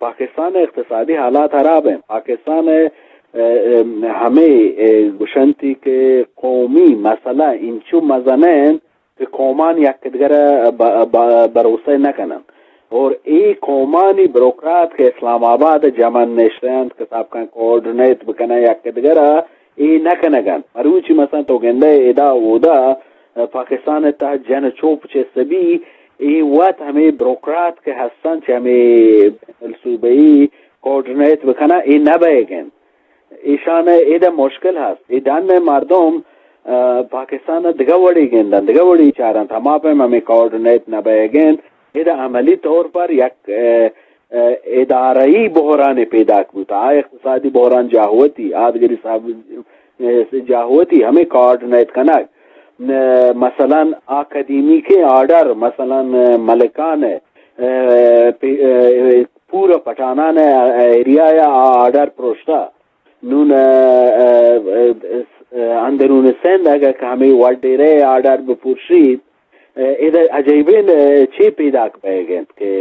پاکستان ءِ اقتصادی حالات خراب انت۔ پاکستان ءِ، اے، اے، ہمے، اے، گوشنتی کہ قومی مسئلہ انچو مزن انت کہ قومان یک دگر ءَ ب-، ب-، بھروسہ نہ کننت۔ اور اے قومانی بروکرات کہ اسلام آباد ءَ جمع نشتہ انت کہ سابقاً کوآرڈینیٹ بکنن یک دگر ءَ، اے نہ کنگ انت۔ مروچی مثلاً تو گندئے ادا اودا پاکستان ءِ تہ جن چوپ چست بی، اے وت ہمے بروکرات کہ ہستن چہ ہمے بین الصوبئی کوآرڈینیٹ بکنن، اے نہ بئیگ انت۔ ایشان ء ادا مشکل ہست۔ اے ڈن ء مردم، ء، پاکستان ء دگہ وڑی گندن، دگہ وڑی چارنت، ہما پیم ہمیں کوآرڈینیٹ نہ بئیگ انت۔ ادا عملی طور پر یک، ء، ء، ادارہی بحران پیداک بوت۔ آ اقتصادی بحران جاہوتی، آدگری صاحب، ء، جاہوتی ہمیں کوآرڈینیٹ کنگ۔ ء، مثلاً اکادمیک آرڈر، مثلاً ملکان ء، ء، پی-، ء، پورا پٹھانان ء ایریا ء آرڈر پروشتا۔ نون، ء، ء، ء، ء، اندرون سندھ اگر کہ ہمیں وڈیرے آرڈر بپرشیت، ء، ادا عجیبیں، ء، چی پیداک بئیگ انت کہ،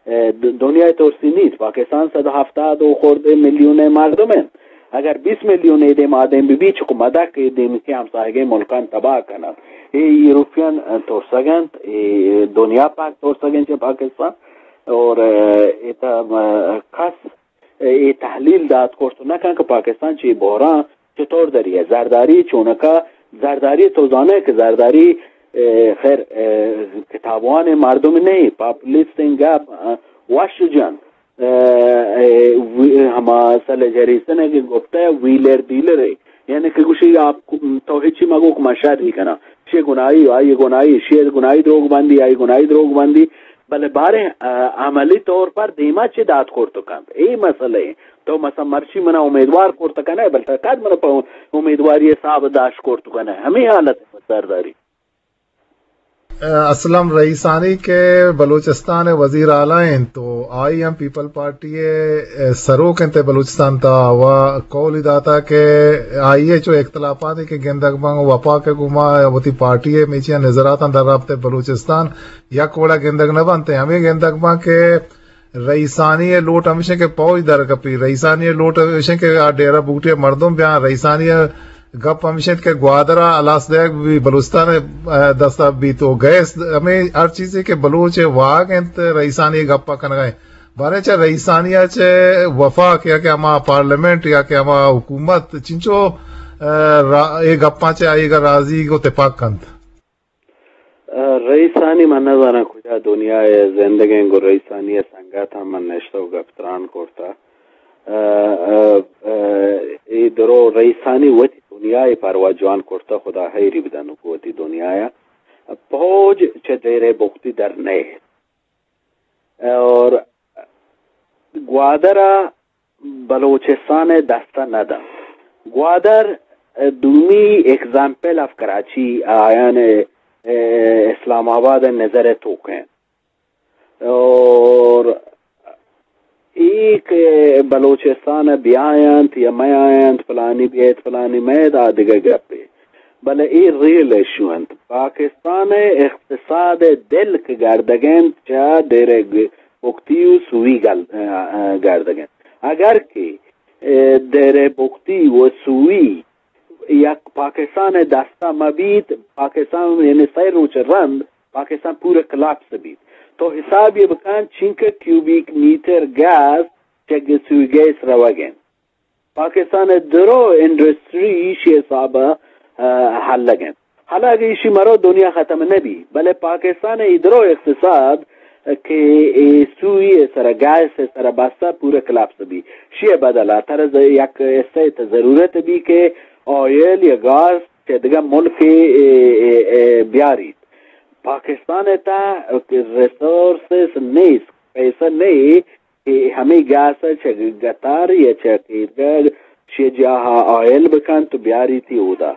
ء، د-، دنیا ترسی نیست۔ پاکستان صد و ہفتاد و خردے میلیون مردم انت۔ اگر بیست میلیون اے دیم آدم ببی، چکو مدک اے دیم کہ ہمساہگیں ملکان تباہ کنت۔ اے یورپین ترسگ انت، اے دنیا پاک ترسگ انت چہ پاکستان۔ اور، ء، اے تا، ء، کس اے تحلیل دات کرت نہ کن کہ پاکستان چی بحران چطور دری ہے۔ زرداری چونکا، زرداری تو زانے کہ زرداری، ء، خیر، ء، کتابوان مردم نہیں، پاپولیسٹ گپ، ء، وش جن، ء، ء، وی-، ہما سل جریسن کہ گپتا ہے ویلر ڈیلر ہے، یعنی کہ گوشی آپ کو-، تو ہچی مگو کہ من شر نہیں کنا، شی گناہی، آئی گناہی، شی گناہی دروگ بندی، آئی گناہی دروگ بندی، بلے باریں، ء، عملی طور پر دیما چی دات کرت کنت؟ اے مسئلہ ہے۔ تو مثلاً مرچی منا امیدوار کرت کنئے، بلے تو کد منا پہ امیدواری حساب داشت کرت کنئے؟ ہمیں حالت ہے سرداری۔ اسلم رئیسانی کہ بلوچستان وزیر اعلیٰ انت تو آئی ہم پیپل پارٹی ء سروک انت بلوچستان تا و قولی داتا کہ آئی ء چو اختلافاتی کہ گندگ بنگ وفاق ء گوما وتی پارٹی ء میچیاں نظراتاں در رابطہ بلوچستان یک وڑا گندگ نہ بنت۔ ہمیں گندگ بنت کہ رئیسانی ء لوٹ ہمیش انت کہ پوج در کپی۔ رئیسانی ء لوٹ ہمیش انت کہ آ ڈیرہ بگٹی ء مردم بیاں۔ رئیسانی ء گپ ہمیش انت کہ گوادر ء ہلاس دیگ بی بلوچستان ء دست ء بیت و گیس ہمیں ہر چیزے کہ بلوچ ء واہگ انت رئیسانی ء گپ ء کنگ ء انت۔ باریں چہ رئیسانی ء چہ وفاق یا کہ ہما پارلیمنٹ یا کہ ہما حکومت چنچو، ء، را-، اے گپاں چہ آئی ء راضی و تپاک کنت؟ ء، رئیسانی من نزاناں کجا دنیا ء زندگیں گوں رئیسانی ء سنگت ہم من نشتہ و گپ تران کرتہ۔ ء، ء، ء، اے درو رئیسانی وتی دنیا ء پرواہ جوان کرتہ، خدا حیری بدن گوں وتی دنیا ء۔ پوج چہ دیرے بگتی در نئیت۔ اور گوادر ء بلوچستان ء دست ء نہ دنت۔ گوادر، ء، دومی ایگزامپل آف کراچی آیان ء، ء، اسلام آباد ء نظر ء توک انت۔ اور اے کہ بلوچستان ء بیاینت یا میاینت، پلانی بیت، پلانی مئیت، آ دگہ گپے۔ بلے اے ریل ایشو انت۔ پاکستان ء اقتصاد ء دل کہ گردگ انت، چہ دیرے گ-، بگتی و سوئی گل-، ء، ء، گردگ انت۔ اگر کہ، ء، دیرے بگتی و سوئی یک پاکستان ء دستا مہ بیت، پاکستان یعنی سئے روچ رند پاکستان پورا کلاپس بیت۔ تو حساب یہ بکن چنکہ کیوبیک میٹر گیس چہ سوئی گیس روگ انت۔ پاکستان ء درو انڈسٹری ایشی حساب ء، ء، ہلگ انت۔ حالانکہ ایشی مرو دنیا ختم نہ بی، بلے پاکستان ء ای درو اقتصاد کہ اے سوئی ء سرا، گیس ء سرا بستا پورا کلاپس بی۔ شی ء بدل ء ترا ز-، یک حصہ ء ضرورت بی کہ آئل یا گاز چہ دگہ ملک ء، ء، ء، ء، بیاریت۔ پاکستان ء تہ ریسورسز نیست، پیسہ نہیں کہ ہمے گیس ء چہ گتار یا چہ کیرگڑ شی جاہ ء آئل بکنت و بیاریتی اودا۔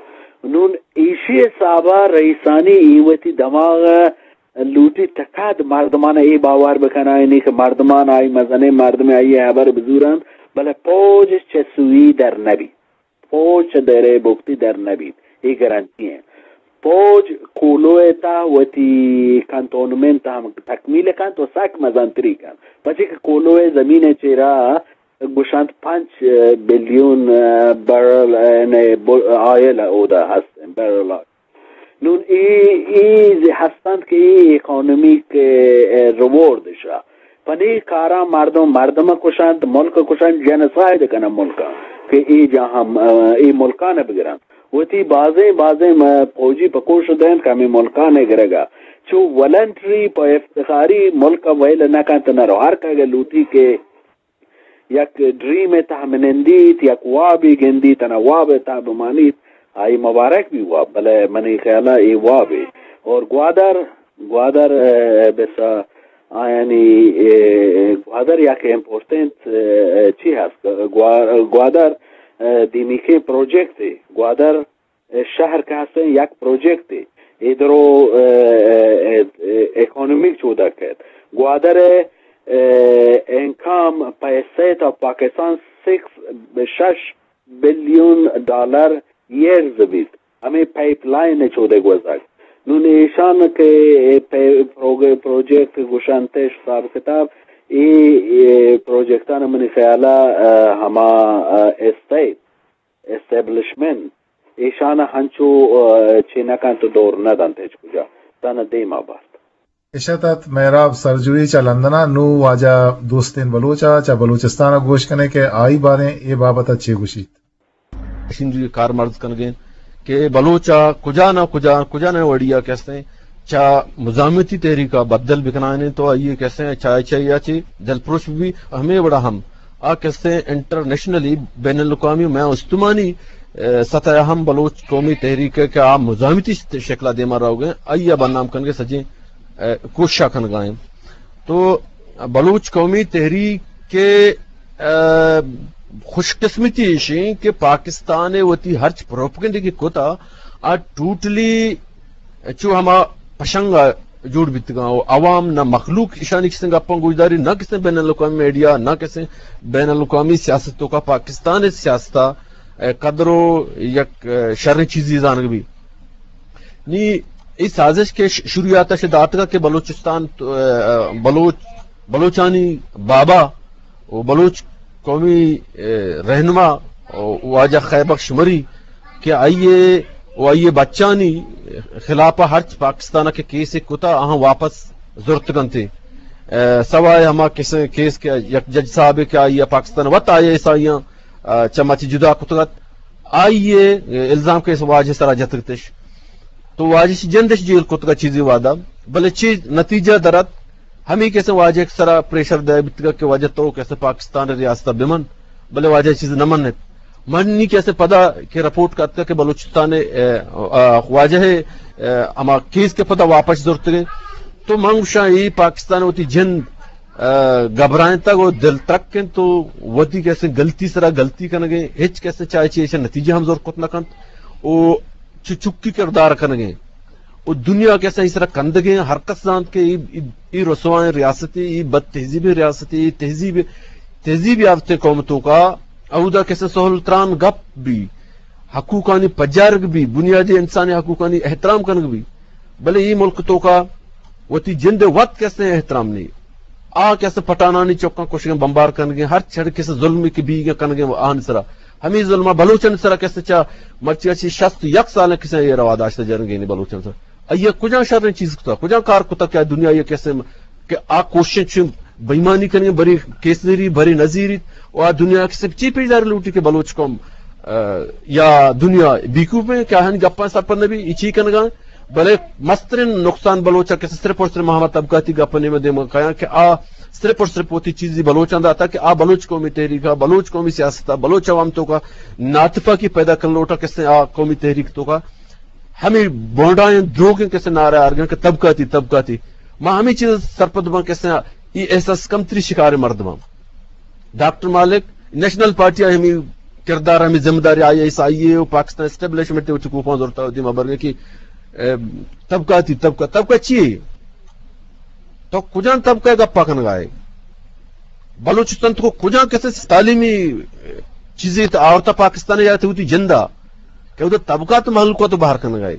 نون ایشی حساب ء رئیسانی ای وتی دماغ ء لوٹی تکاد مردمان ء اے باور بکنائینی کہ مردمان آئی مزنیں مردم آئی ء ہبر بزورنت، بلے پوج چہ سوئی در نبی۔ پوج چہ دیرے بگتی در نہ بیت، اے گارنٹی انت۔ پوج کولو ء تہ وتی کنٹونمنٹ ہم تکمیل کنت و سک مزنتری کنت، پچے کہ کولو ء زمین ء چیرا گوشنت پنچ بلیون بیرل، یعنی، آئل اودا ہست، بیرل آئل۔ نون اے، اے ہستنت کہ اے اکانومیک، ء، ریوارڈ شا۔ پہ نی کاراں مردم، مردم کشنت، ملک کشنت، جنسائیڈ کننت ملکاں کہ اے جاہاں، ء، اے ملکان بگرنت۔ وتی بازیں، بازیں، م-، پوجی پکوش دینت کہ ہمیں ملکان گرگا۔ چو ولنٹری پہ افتخاری ملک ویل نہ کنت نہ رو۔ ہر کہ اگہ لوٹی کہ یک ڈریم ءِ تہ بہ نندیت، یک وابے گندیت، تنا واب ءِ تہ بہ مانیت، آئی مبارک بی واب، بلے منی خیال ءَ اے وابے۔ اور گوادر، گوادر، اے، بس، آیانی، اے، گوادر یک امپورٹنٹ، اے، چی ہست؟ گوا-، گوادر، اے، دیمیکیں پروجیکٹ ہے۔ گوادر شہر کہ ہستیں یک پروجیکٹے، اے درو، اے، اے، اے، اکانومی چودا کیت۔ گوادر ءِ، اے، انکم پیسے تا پاکستان سکس، شش بلیون ڈالر ایئرز بیت۔ ہمیں پائپ لائن چودے گوزگ۔ نون ایشان کہ اے پے-، پروگ-، پروجیکٹ گوشنتش حساب کتاب، اے، اے پروجیکٹان منی خیالا، اے، ہما، اے، اسٹیٹ اسٹیبلشمنٹ، ایشان ءَ ہنچو، آ، چے نہ کنت ءُ دور نہ دنت ہچ کجا، تاں دیما بارت۔ اشت ات مہراب سرجوئی چہ لندن ءَ۔ نوں واجہ دوستین بلوچ ءَ چہ بلوچستان ءَ گوش کنیں کہ آئی باریں اے بابت ءَ چے گوشیت۔ مشینری کارمرز کنگیں کہ بلوچ ءَ کجا نہ کجا، کجا نہ وڑی ءَ کہ استیں چہ مزاحمتی تحریک ءَ بدل بکنائینیں تو آئی ءَ کہ استیں چاہے چاہے آ چی دلپروش بہ بی، ہمے وڑا ہم آ کہ استیں انٹرنیشنلی، بین الاقوامی، مئے استمانی، اے، سطح ءَ ہم بلوچ قومی تحریک ءَ کہ آ مزاحمتی شکل ءَ دیما روگ ءَ آئی ءَ بدنام کنگ ءِ سجیں، اے، کوشش ءَ کنگا ایں۔ تو بلوچ قومی تحریک ءِ، اے، خوش قسمتی ایش ایں کہ پاکستان ءَ وتی ہرچ پروپیگنڈہ کہ کتا، آ ٹوٹلی چو ہما پشنگ ءَ جوڑ بیتگاں و عوام نہ مخلوق ایشانی کسیں گپاں گوشداری، نہ کسیں بین الاقوامی میڈیا، نہ کسیں بین الاقوامی سیاست توکا پاکستان ءِ سیاست ءَ، اے، قدر و یک، اے، شریں چیزی زانگ بی۔ نی اے سازش کہ ش-، شروعیات ءَ داتگا کہ بلوچستان تو، اے، بلوچ، بلوچانی بابا و بلوچ قومی، اے، رہنما و واجہ خیر بخش مری کہ آئی ءَ و آئی ءِ بچانی خلاف ءَ ہرچ پاکستان ءَ کہ کیس کتا، آہاں واپس زرت کنت۔ اے، سوائے ہما کس-، کیس کہ یک جج صاحب کہ آئی ءَ پاکستان وت آئی ایس آئیاں، اے، چہ مچ جدا کتگ ات، آئی ءَ الزام کہ واجہ سرا جتگتش۔ تو واجہ چی جندش جیل کتگ ات چیزی وعدہ، بلے چی نتیجہ درت؟ ہمے کسے واجہ سرا پریشر دے بیتگ کہ واجہ تو کسے پاکستان ءِ ریاست ءَ بمن، بلے واجہ چیز نہ منت۔ منی کسے پدا کہ رپورٹ کتگ کہ بلوچستان ءِ، اے، آ، واجہ ءِ، اے، ہما کیس کہ پدا واپس زرتگ۔ تو من گوشاں اے پاکستان وتی جند، اے، گھبرائینتگ و دل ترک انت تو وتی کسے غلطی سرا غلطی کنگیں، ہچ کسے چاہے چی ایشا نتیجہ ہم زور کت نہ کنت۔ و چو چکی کردار کنگیں۔ و دنیا کہ استیں اے سرا کندگیں، ہر کس زانت کہ اے، اے، اے رسوائیں ریاستے، اے بد تہذیبیں ریاستے، اے تہذیب، تہذیب یافتیں قوم توکا اودا کہ استیں سہل تران گپ بی، حقوقانی پجارگ بی، بنیادی انسانی حقوقانی احترام کنگ بی۔ بلے اے ملک توکا وتی جند وت کہ استیں احترام نی۔ آ کہ استیں پٹھانانی چکاں کشگیں، بمبار کنگیں، ہر چڑ کس ظلمی کہ بیگیں کنگیں و آہانی سرا۔ ہمے ظلم ءَ بلوچانی سرا کہ استیں چہ مرچی ءَ چہ شست یک سال کسے اے روا داشتہ جنگینی بلوچانی سرا۔ آئی ءَ کجا شریں چیز کتا، کجا کار کتا کہ دنیا ءَ کہ استیں کہ آ کوشش چہ بےایمانی کنگیں، بری کیس زیری، بری نہ زیریت و آ دنیا کہ استیں چی پیش دار لوٹی کہ بلوچ قوم، اے، یا دنیا بیکوپیں کہ آہانی گپاں سرپد نہ بی، اے چی کنگا؟ بلے مسترین نقصان بلوچ ءَ کہ صرف اور صرف ہما طبقاتی گپ ءِ نیمگ ءَ دیما کایاں کہ آ صرف اور صرف وتی چیزی بلوچاں داتا کہ آ بلوچ قومی تحریک ءَ، بلوچ قومی سیاست ءَ، بلوچ عوام توکا ناتپاکی پیدا کن لوٹا کہ استیں آ قومی تحریک توکا ہمے بونڈائیں دروگیں کہ استیں نعرہ آرگاں کہ طبقاتی، طبقاتی۔ ما ہمے چیز سرپد باں کہ استیں اے احساس کمتری شکار مردماں۔ ڈاکٹر مالک، نیشنل پارٹی ءَ ہمے کردار، ہمے ذمہ داری آئی ایس آئی ءَ و پاکستان اسٹیبلشمنٹ ءَ وتی کوپاں زرتا و دیما برگے کہ، اے، طبقاتی، طبقہ، طبقہ چی ہے؟ تو کجام طبقہ ءِ گپا کنگا ئے؟ بلوچستان تو کجام کسے تعلیمی چیزے تو آورتا پاکستان ءَ یا تو وتی جندا کہ ادھر طبقات مخلوقات باہر کنگا ئے؟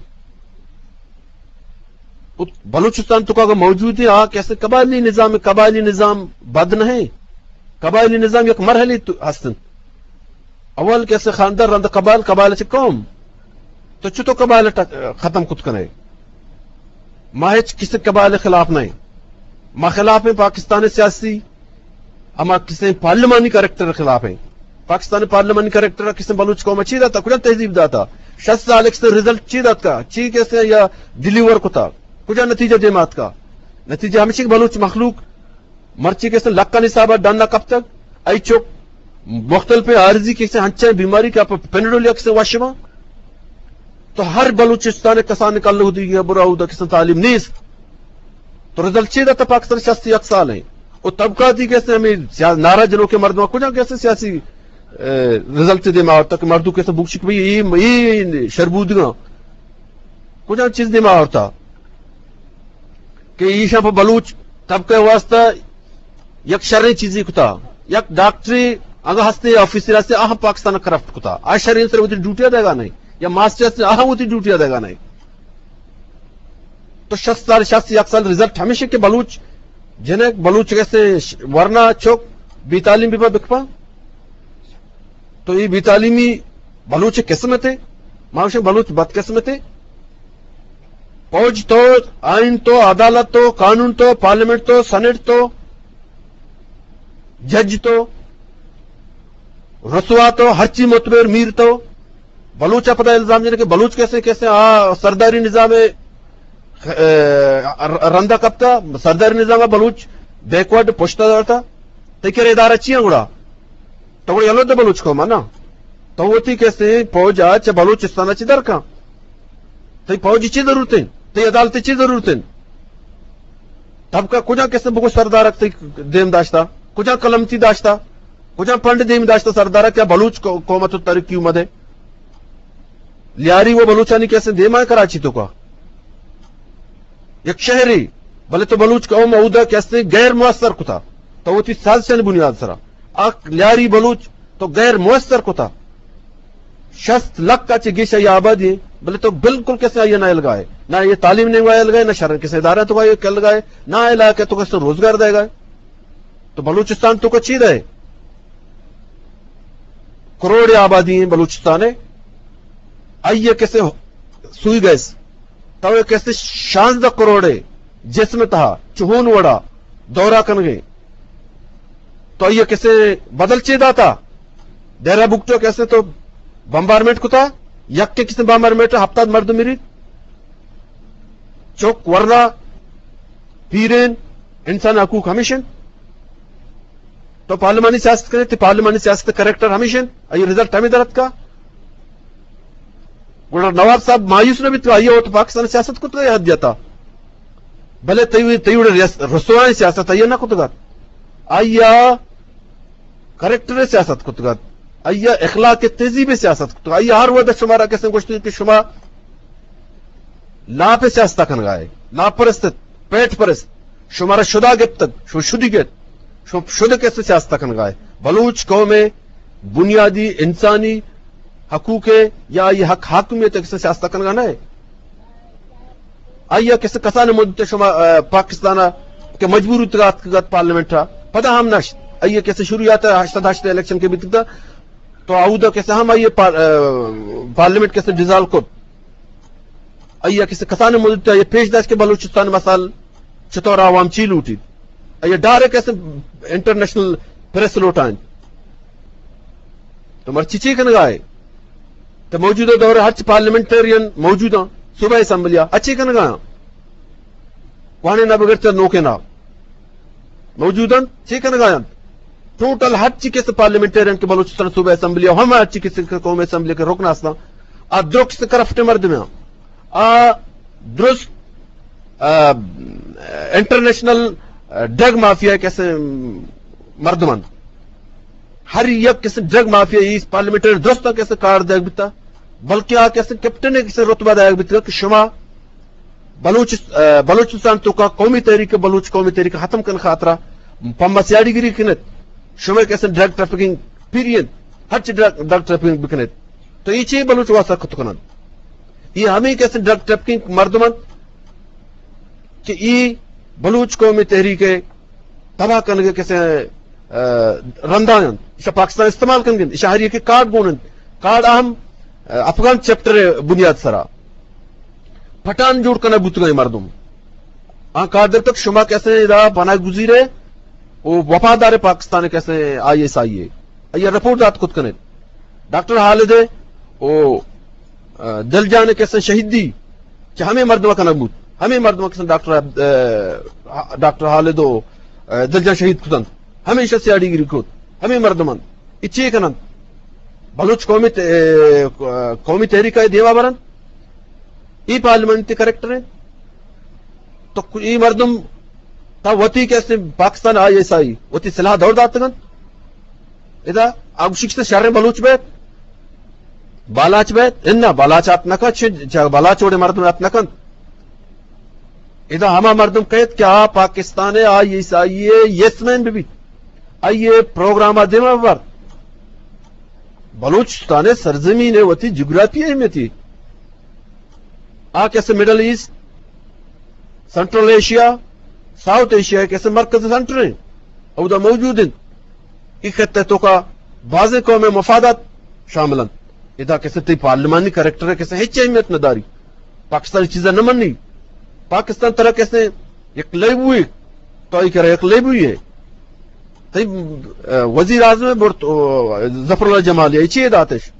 بلوچستان تو اگر موجود ہے، آ کسے قبائلی نظام، قبائلی نظام بد نہیں، قبائلی نظام یک مرحلے تو ہستن۔ اول کسے خاندان، رند قبائل، قبائل چہ قوم۔ تو چطور قبائل ٹک-، ختم کت کنے؟ ما ہچ کسی قبائل خلاف نہیں۔ ما خلاف ہیں پاکستان سیاسی ہما کسیں پارلیمانی کریکٹر خلاف ہیں۔ پاکستان پارلیمانی کریکٹر کسیں بلوچ قوم چی داتا، کجا تہذیب داتا؟ شست سال ایک سے رزلٹ چی دات کا؟ چی کسے یا ڈیلیور کتا؟ کجا نتیجہ دیمات کا؟ نتیجہ ہمیشہ کہ بلوچ مخلوق مرچی کسیں لکھانی حساب ڈنا کپتگ، ای چک مختلف عارضی کسے ہنچیں بیماری کہ آپ پنڈول یک سے وشما، تو ہر بلوچستان کسان کل ہودی گیا برا ہودا کسان تعلیم نیست۔ تو رزلٹ چی داتا؟ پاکستان شست یک سال ہیں۔ او طبقاتی کسے ہمیں سیا-، نعرہ جنوکیں مردم کجا کسے سیاسی، اے، رزلٹ دے ما تک مردو کسے بوکشک بھی یہ، یہ شربودگاں کجا چیز دے ما آورتا کہ ایشاں پہ بلوچ طبقہ واسطہ یک شریں چیزی کتا، یک ڈاکٹری اگہ ہستے یا آفیسر ہستے، آہاں پاکستان کرپٹ کتا، آ شریں سر وتی ڈیوٹی دیگا نہیں، یا ماسٹر ہستے، آہاں وتی ڈیوٹی دیگا نہیں۔ تو شست سال، شست یک سال رزلٹ ہمیشہ کہ بلوچ جنک، بلوچ کسے ورنا چوک بے تعلیم بی بکپا۔ تو یہ بے تعلیمی بلوچ قسمت ہے، ما گوشیں بلوچ بدقسمت ہے۔ فوج تو، آئین تو، عدالت تو، قانون تو، پارلیمنٹ تو، سینیٹ تو، جج تو، رسوا تو، ہرچی متبر میر تو، بلوچ ء پدا الزام جنے کہ بلوچ کسے کسے آ سرداری نظام ء، ء، رندا کپتا، سرداری نظام ء بلوچ بیکورڈ پشتا دارتا۔ تئی کرے ادارہ چی ہیں گڑا؟ تو گڑا یلو دے بلوچ قوم نا۔ تو وتی کسے فوج ء چہ بلوچستان ء چہ در کن۔ تئی فوج چی ضرورت ہیں؟ تئی عدالت چی ضرورت ہیں؟ طبقہ کجا کسے بگو سردارک تئی دیم داشتا؟ کجا قلم تی داشتا؟ کجا پنڈ دیم داشتا سردارک؟ کیا بلوچ قو-، قوم تو ترقی اومدے؟ لیاری و بلوچانی کسے دیما کراچی تو کا؟ یک شہری، بلے تو بلوچ قوم اودا کسے غیر مؤثر کتا۔ تو وتی سازشانی بنیاد سرا۔ آ لیاری بلوچ تو غیر مؤثر کتا۔ شست لکھ ء چہ گیش آئی آبادی، بلے تو بالکل کسے آئی نہ الگائے، نہ یہ تعلیم نے آئی الگائے، نہ شرن کسے ادارہ تو آئی الگائے، نہ علاقہ تو کسے روزگار دے گا۔ تو بلوچستان تو کا چی دے؟ کروڑ آبادی ہیں بلوچستان ہے، آئی کسے سوئی گیس، تو کسے شانزدہ کروڑ ہے جسم تہا چہون وڑا دورہ کنگے۔ تو آئی ء کسے بدل چے داتا؟ ڈیرہ بگٹو کسے تو بمبارمنٹ کتا، یک کے کسے بمبارمنٹ ہفتاد مردم مریت۔ چوک ورنا پیرین انسان حقوق ہمیشن۔ تو پارلیمانی سیاست کرے، تی پارلیمانی سیاست کریکٹر ہمیشن۔ آئی رزلٹ ہمیں درت کا۔ گڑا نواب صاحب مایوس نہ بیت، آئی ء وت پاکستان سیاست کت ء حد دیتا۔ بلے تئی، تئی وڑ ریاست-، رسوائیں سیاست آئی ء نہ کتگات۔ آئی ء کریکٹر سیاست کتگات۔ آئی ء اخلاق تہذیب سیاست کتگات۔ آئی ء ہر وقت شمارا کسے گوشت کہ شما لاپ سیاست کنگائے، لاپ پرست، پیٹ پرست، شمارا شدا گپتگ، شما شدی گپت، شما شد کسے سیاست کنگائے۔ بلوچ قوم بنیادی انسانی حقوق ء یا آئی حق حاکمیت ء کسے سیاست کنگا نہ۔ آئی ء کسے کسان مدت شما، آ، پاکستان ء کہ مجبور اتگا اتکگت پارلیمنٹ ء پدا ہم نشت۔ آئی ء کسے شروعیات ء ہشت سد ہشت الیکشن کے بیتگ تو آودا کسے ہم آئی ء پار-، آ، پارلیمنٹ کسے ڈیزالو کت۔ آئی ء کسے کسان مدت آئی ء پیش داشت کہ بلوچستان مسائل چطور عوام چی لوٹیت۔ آئی ء ڈائریکٹ کسے انٹرنیشنل پریس لوٹائیں۔ تو مرچی چی کنگائے؟ تو موجودہ دور ہرچ پارلیمنٹرین موجوداں صوبہ اسمبلیا اچی کنگا؟ وانے نہ بغیر تو نوکے نہ موجود انت، چے کنگا انت؟ ٹوٹل ہرچی کس پارلیمنٹیرین کہ بلوچستان صوبہ اسمبلی ء ہم ہرچی کس قومی اسمبلی کے رکن ہستاں، آ درست کرپٹ مردم ہیں۔ آ درست، آ، انٹرنیشنل، آ، ڈرگ مافیا کسے مردم انت۔ ہر یک کسے ڈرگ مافیا اس پارلیمنٹری درست کسے کار دیگ بیتا، بلکہ آ کسے کیپٹن کسے رتبہ دیگ بیتا کہ شما بلوچ-، آ، بلوچستان تو کا قومی تحریک، بلوچ قومی تحریک ختم کن خاطرہ پما سیاڑی گری کنت، شما کسے ڈرگ ٹریفکنگ پیرین، ہرچ ڈرگ، ڈرگ ٹریفکنگ بکنت، تو یہ چی بلوچ واسطہ کت کنن؟ یہ ہمیں کسے ڈرگ ٹریفکنگ مردم انت کہ یہ بلوچ قومی تحریک تباہ کنگے کسے، آ، رندان انت۔ ایشا پاکستان استعمال کنگ انت۔ ایشا ہر یکے کارڈ گون انت۔ کارڈ اہم، آ، افغان چیپٹر بنیاد سرا پٹھان جوڑ کنگ بوتگاں مردم۔ آ کارڈ در تک شما کسے ادا پناہ گزیرے او وفادار پاکستان کسے آئی ایس آئی اے۔ آئی رپورٹ دات کت کنے۔ ڈاکٹر خالد او، آ، دلجان کسے شہیدی چہ ہمیں مردم کنگ بوت۔ ہمیں مردم کسے ڈاکٹر عبد-، آ، ڈاکٹر خالد او، آ، دلجان شہید کتن۔ ہمیشہ سیاڑی گری کت۔ ہمیں مردمان۔ اے چے کننت؟ بلوچ قومی ت-، اے، قومی تحریک ءَ دیما برنت؟ اے پارلیمنٹ ءِ کریکٹر انت؟ تو اے مردم تا وتی کسے پاکستان آئی ایس آئی وتی سلاہ دور داتگ انت؟ ادا آ گوشی کسے شریں بلوچ بیت، بالاچ بیت؟ اناں، بالاچ ات نہ کنت، چہ، چہ بالاچ وڑیں مردم ات نہ کنت۔ ادا ہما مردم کئیت کہ آ پاکستان ءِ آئی ایس آئی ءِ یس مین بہ بیت، آئی ءِ پروگرام ءَ دیما ببر۔ بلوچستان ءِ سرزمین ءِ وتی جغرافی اہمیتی۔ آ کسے مڈل ایسٹ، سنٹرل ایشیا، ساؤتھ ایشیا ءِ کسے مرکز سنٹر انت، اودا موجود انت۔ اے خطہ ءِ توکا بازیں قوم ءِ مفادات شامل انت۔ ادا کسے تئی پارلیمانی کریکٹر ءَ کسے ہچ اہمیت نہ داری۔ پاکستان چیزا نہ منی۔ پاکستان ترا کسے یک لیبوئے، تو اے کرا یک لیبوئے۔ تئی، ا، وزیر اعظم ءَ برت، او، ظفر اللہ جمالی ءَ چی داتش؟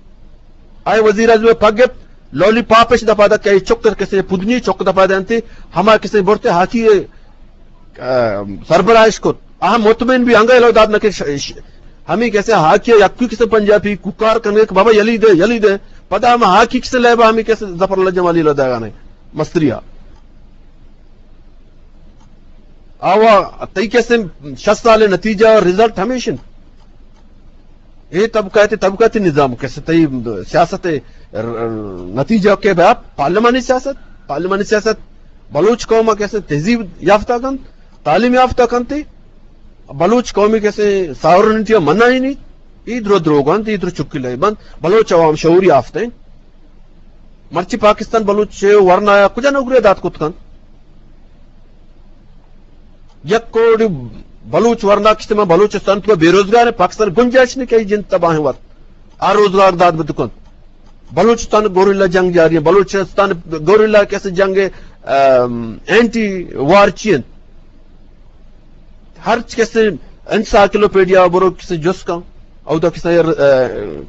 آئی وزیر اعظم ءَ پگ گپت، لولی پاپ اش دپا دات کہ اے چک کسے پدنی چک دپا دنتی، ہما کسے برتے ہاکی، ا، سربراہش کت۔ آ مطمئن بی انگا الو دات نہ کہ ش-، ش-، ہمیں کسے ہاکی یکی کسے پنجابی کوکار کنگے کہ بابا یلی دے، یلی دے۔ پدا ہم ہاکی کسے لیبا ہمیں کسے ظفر اللہ جمالی الو داگانے مستریا۔ آوا تئی کسے شست سال نتیجہ رزلٹ ہمیش انت۔ اے طبقاتی، طبقاتی نظام کسے تئی سیاست ءِ ر-، نتیجہ کہ بیا پارلیمانی سیاست، پارلیمانی سیاست بلوچ قوم کسے تہذیب یافتہ کنت، تعلیم یافتہ کنت، بلوچ قومی کسے ساورنٹی منع ہی نہیں، اے درو دروگ انت، اے درو چکی لیب انت، بلوچ عوام شعور یافتہ انت۔ مرچی پاکستان بلوچ ورنا ءَ کجا نوکری دات کت کنت؟ یک کروڑ بلوچ ورنا کشتے، ما بلوچستان تو بے روزگار ہیں، پاکستان گنجائش نہیں کہ جند تباہ ہیں وقت آ روزگار دات بت کنت۔ بلوچستان گوریلا جنگ جاری ہے، بلوچستان گوریلا کسے جنگ، ام، اینٹی وار چی انت؟ ہر کسے انسائکلوپیڈیا برو کسے جست کن، اودا کسے، ا،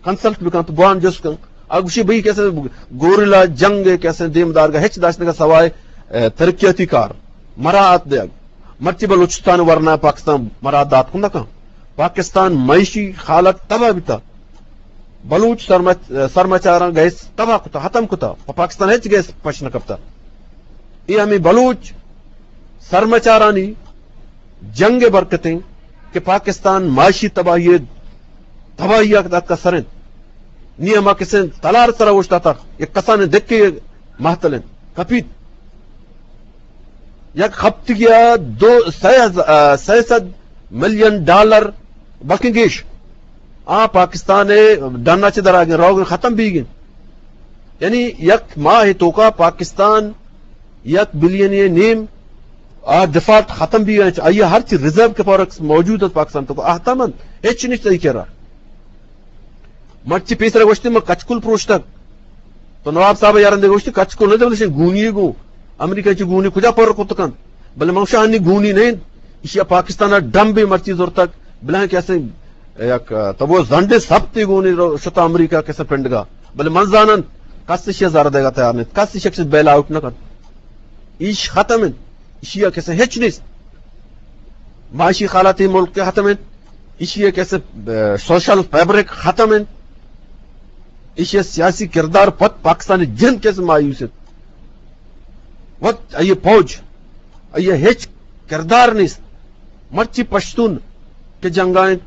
کنسلٹ بکن تو بوان جست کن۔ آ گوشی بھئی کسے گوریلا جنگ کسے دیم دارگا ہچ داشت نہ سوائے، ا، ترقیاتی کار، مراعات دیگ۔ مرچی بلوچستان ورنا پاکستان مراعات دات کن نہ کن۔ پاکستان معاشی حالت تباہ بیتا۔ بلوچ سرمچ-، سرمچاراں گیس تباہ کتا، ختم کتا۔ پہ پاکستان ہچ گیس پش نہ کپتا۔ اے ہمیں بلوچ سرمچارانی جنگ ءِ برکت انت کہ پاکستان معاشی تباہی ءَ، تباہی ءَ داتکا سر انت۔ نی ہما کسے تلار سرا اوشتاتا، یک کسانیں دکے مہتل انت، کپیت۔ یک ہفتگی ءَ دو، سئے ہز-، ا، سئے سد ملین ڈالر بلکیں گیش آ پاکستان ءِ ڈن ءَ چہ در آگیں، روگ ختم بیگیں۔ یعنی یک ماہ توکا پاکستان یک بلین ءُ نیم آ ڈیفالٹ ختم بیگیں۔ آئی ءَ ہرچی ریزرو کہ فاریکس موجود انت پاکستان توکا، آ ختم انت، ہچ نیست آئی کرا۔ مرچی پیسرا گوشتی من کچکول پروشتگ۔ تو نواب صاحب یارندے گوشتی کچکول نہ، بلے گونی گو۔ امریکہ چی گونی کجا پر کت کنت؟ بلے من گوشاں انی گونی نہ انت۔ ایشی پاکستان ڈمبے مرچی زرتگ۔ بلے کہ اسے یک تبو زنڈے سپتے گونی رو شتا امریکہ کسے پنڈگا۔ بلے من زانن کس ایشی زر دیگا تیار نیست۔ کس ایشی کسے بیل آؤٹ نہ کنت۔ ایش ختم انت۔ ایشی ءَ کسے ہچ نیست۔ معاشی حالات ملک ءِ ختم انت۔ ایشی ءَ کسے، ا، سوشل فیبرک ختم انت۔ ایشی ءِ سیاسی کردار پت پاکستانی جند کسے مایوس انت۔ وت آئی فوج، آئی ہچ کردار نیست۔ مرچی پشتون کہ جنگا انت،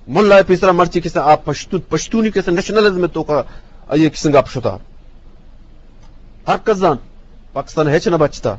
ملا پیسرا مرچی کسے آ پشتون، پشتونی کسے نیشنلزم توکا آئی کسے گپ شتا۔ ہر کس زان پاکستان ہچ نہ بچتا۔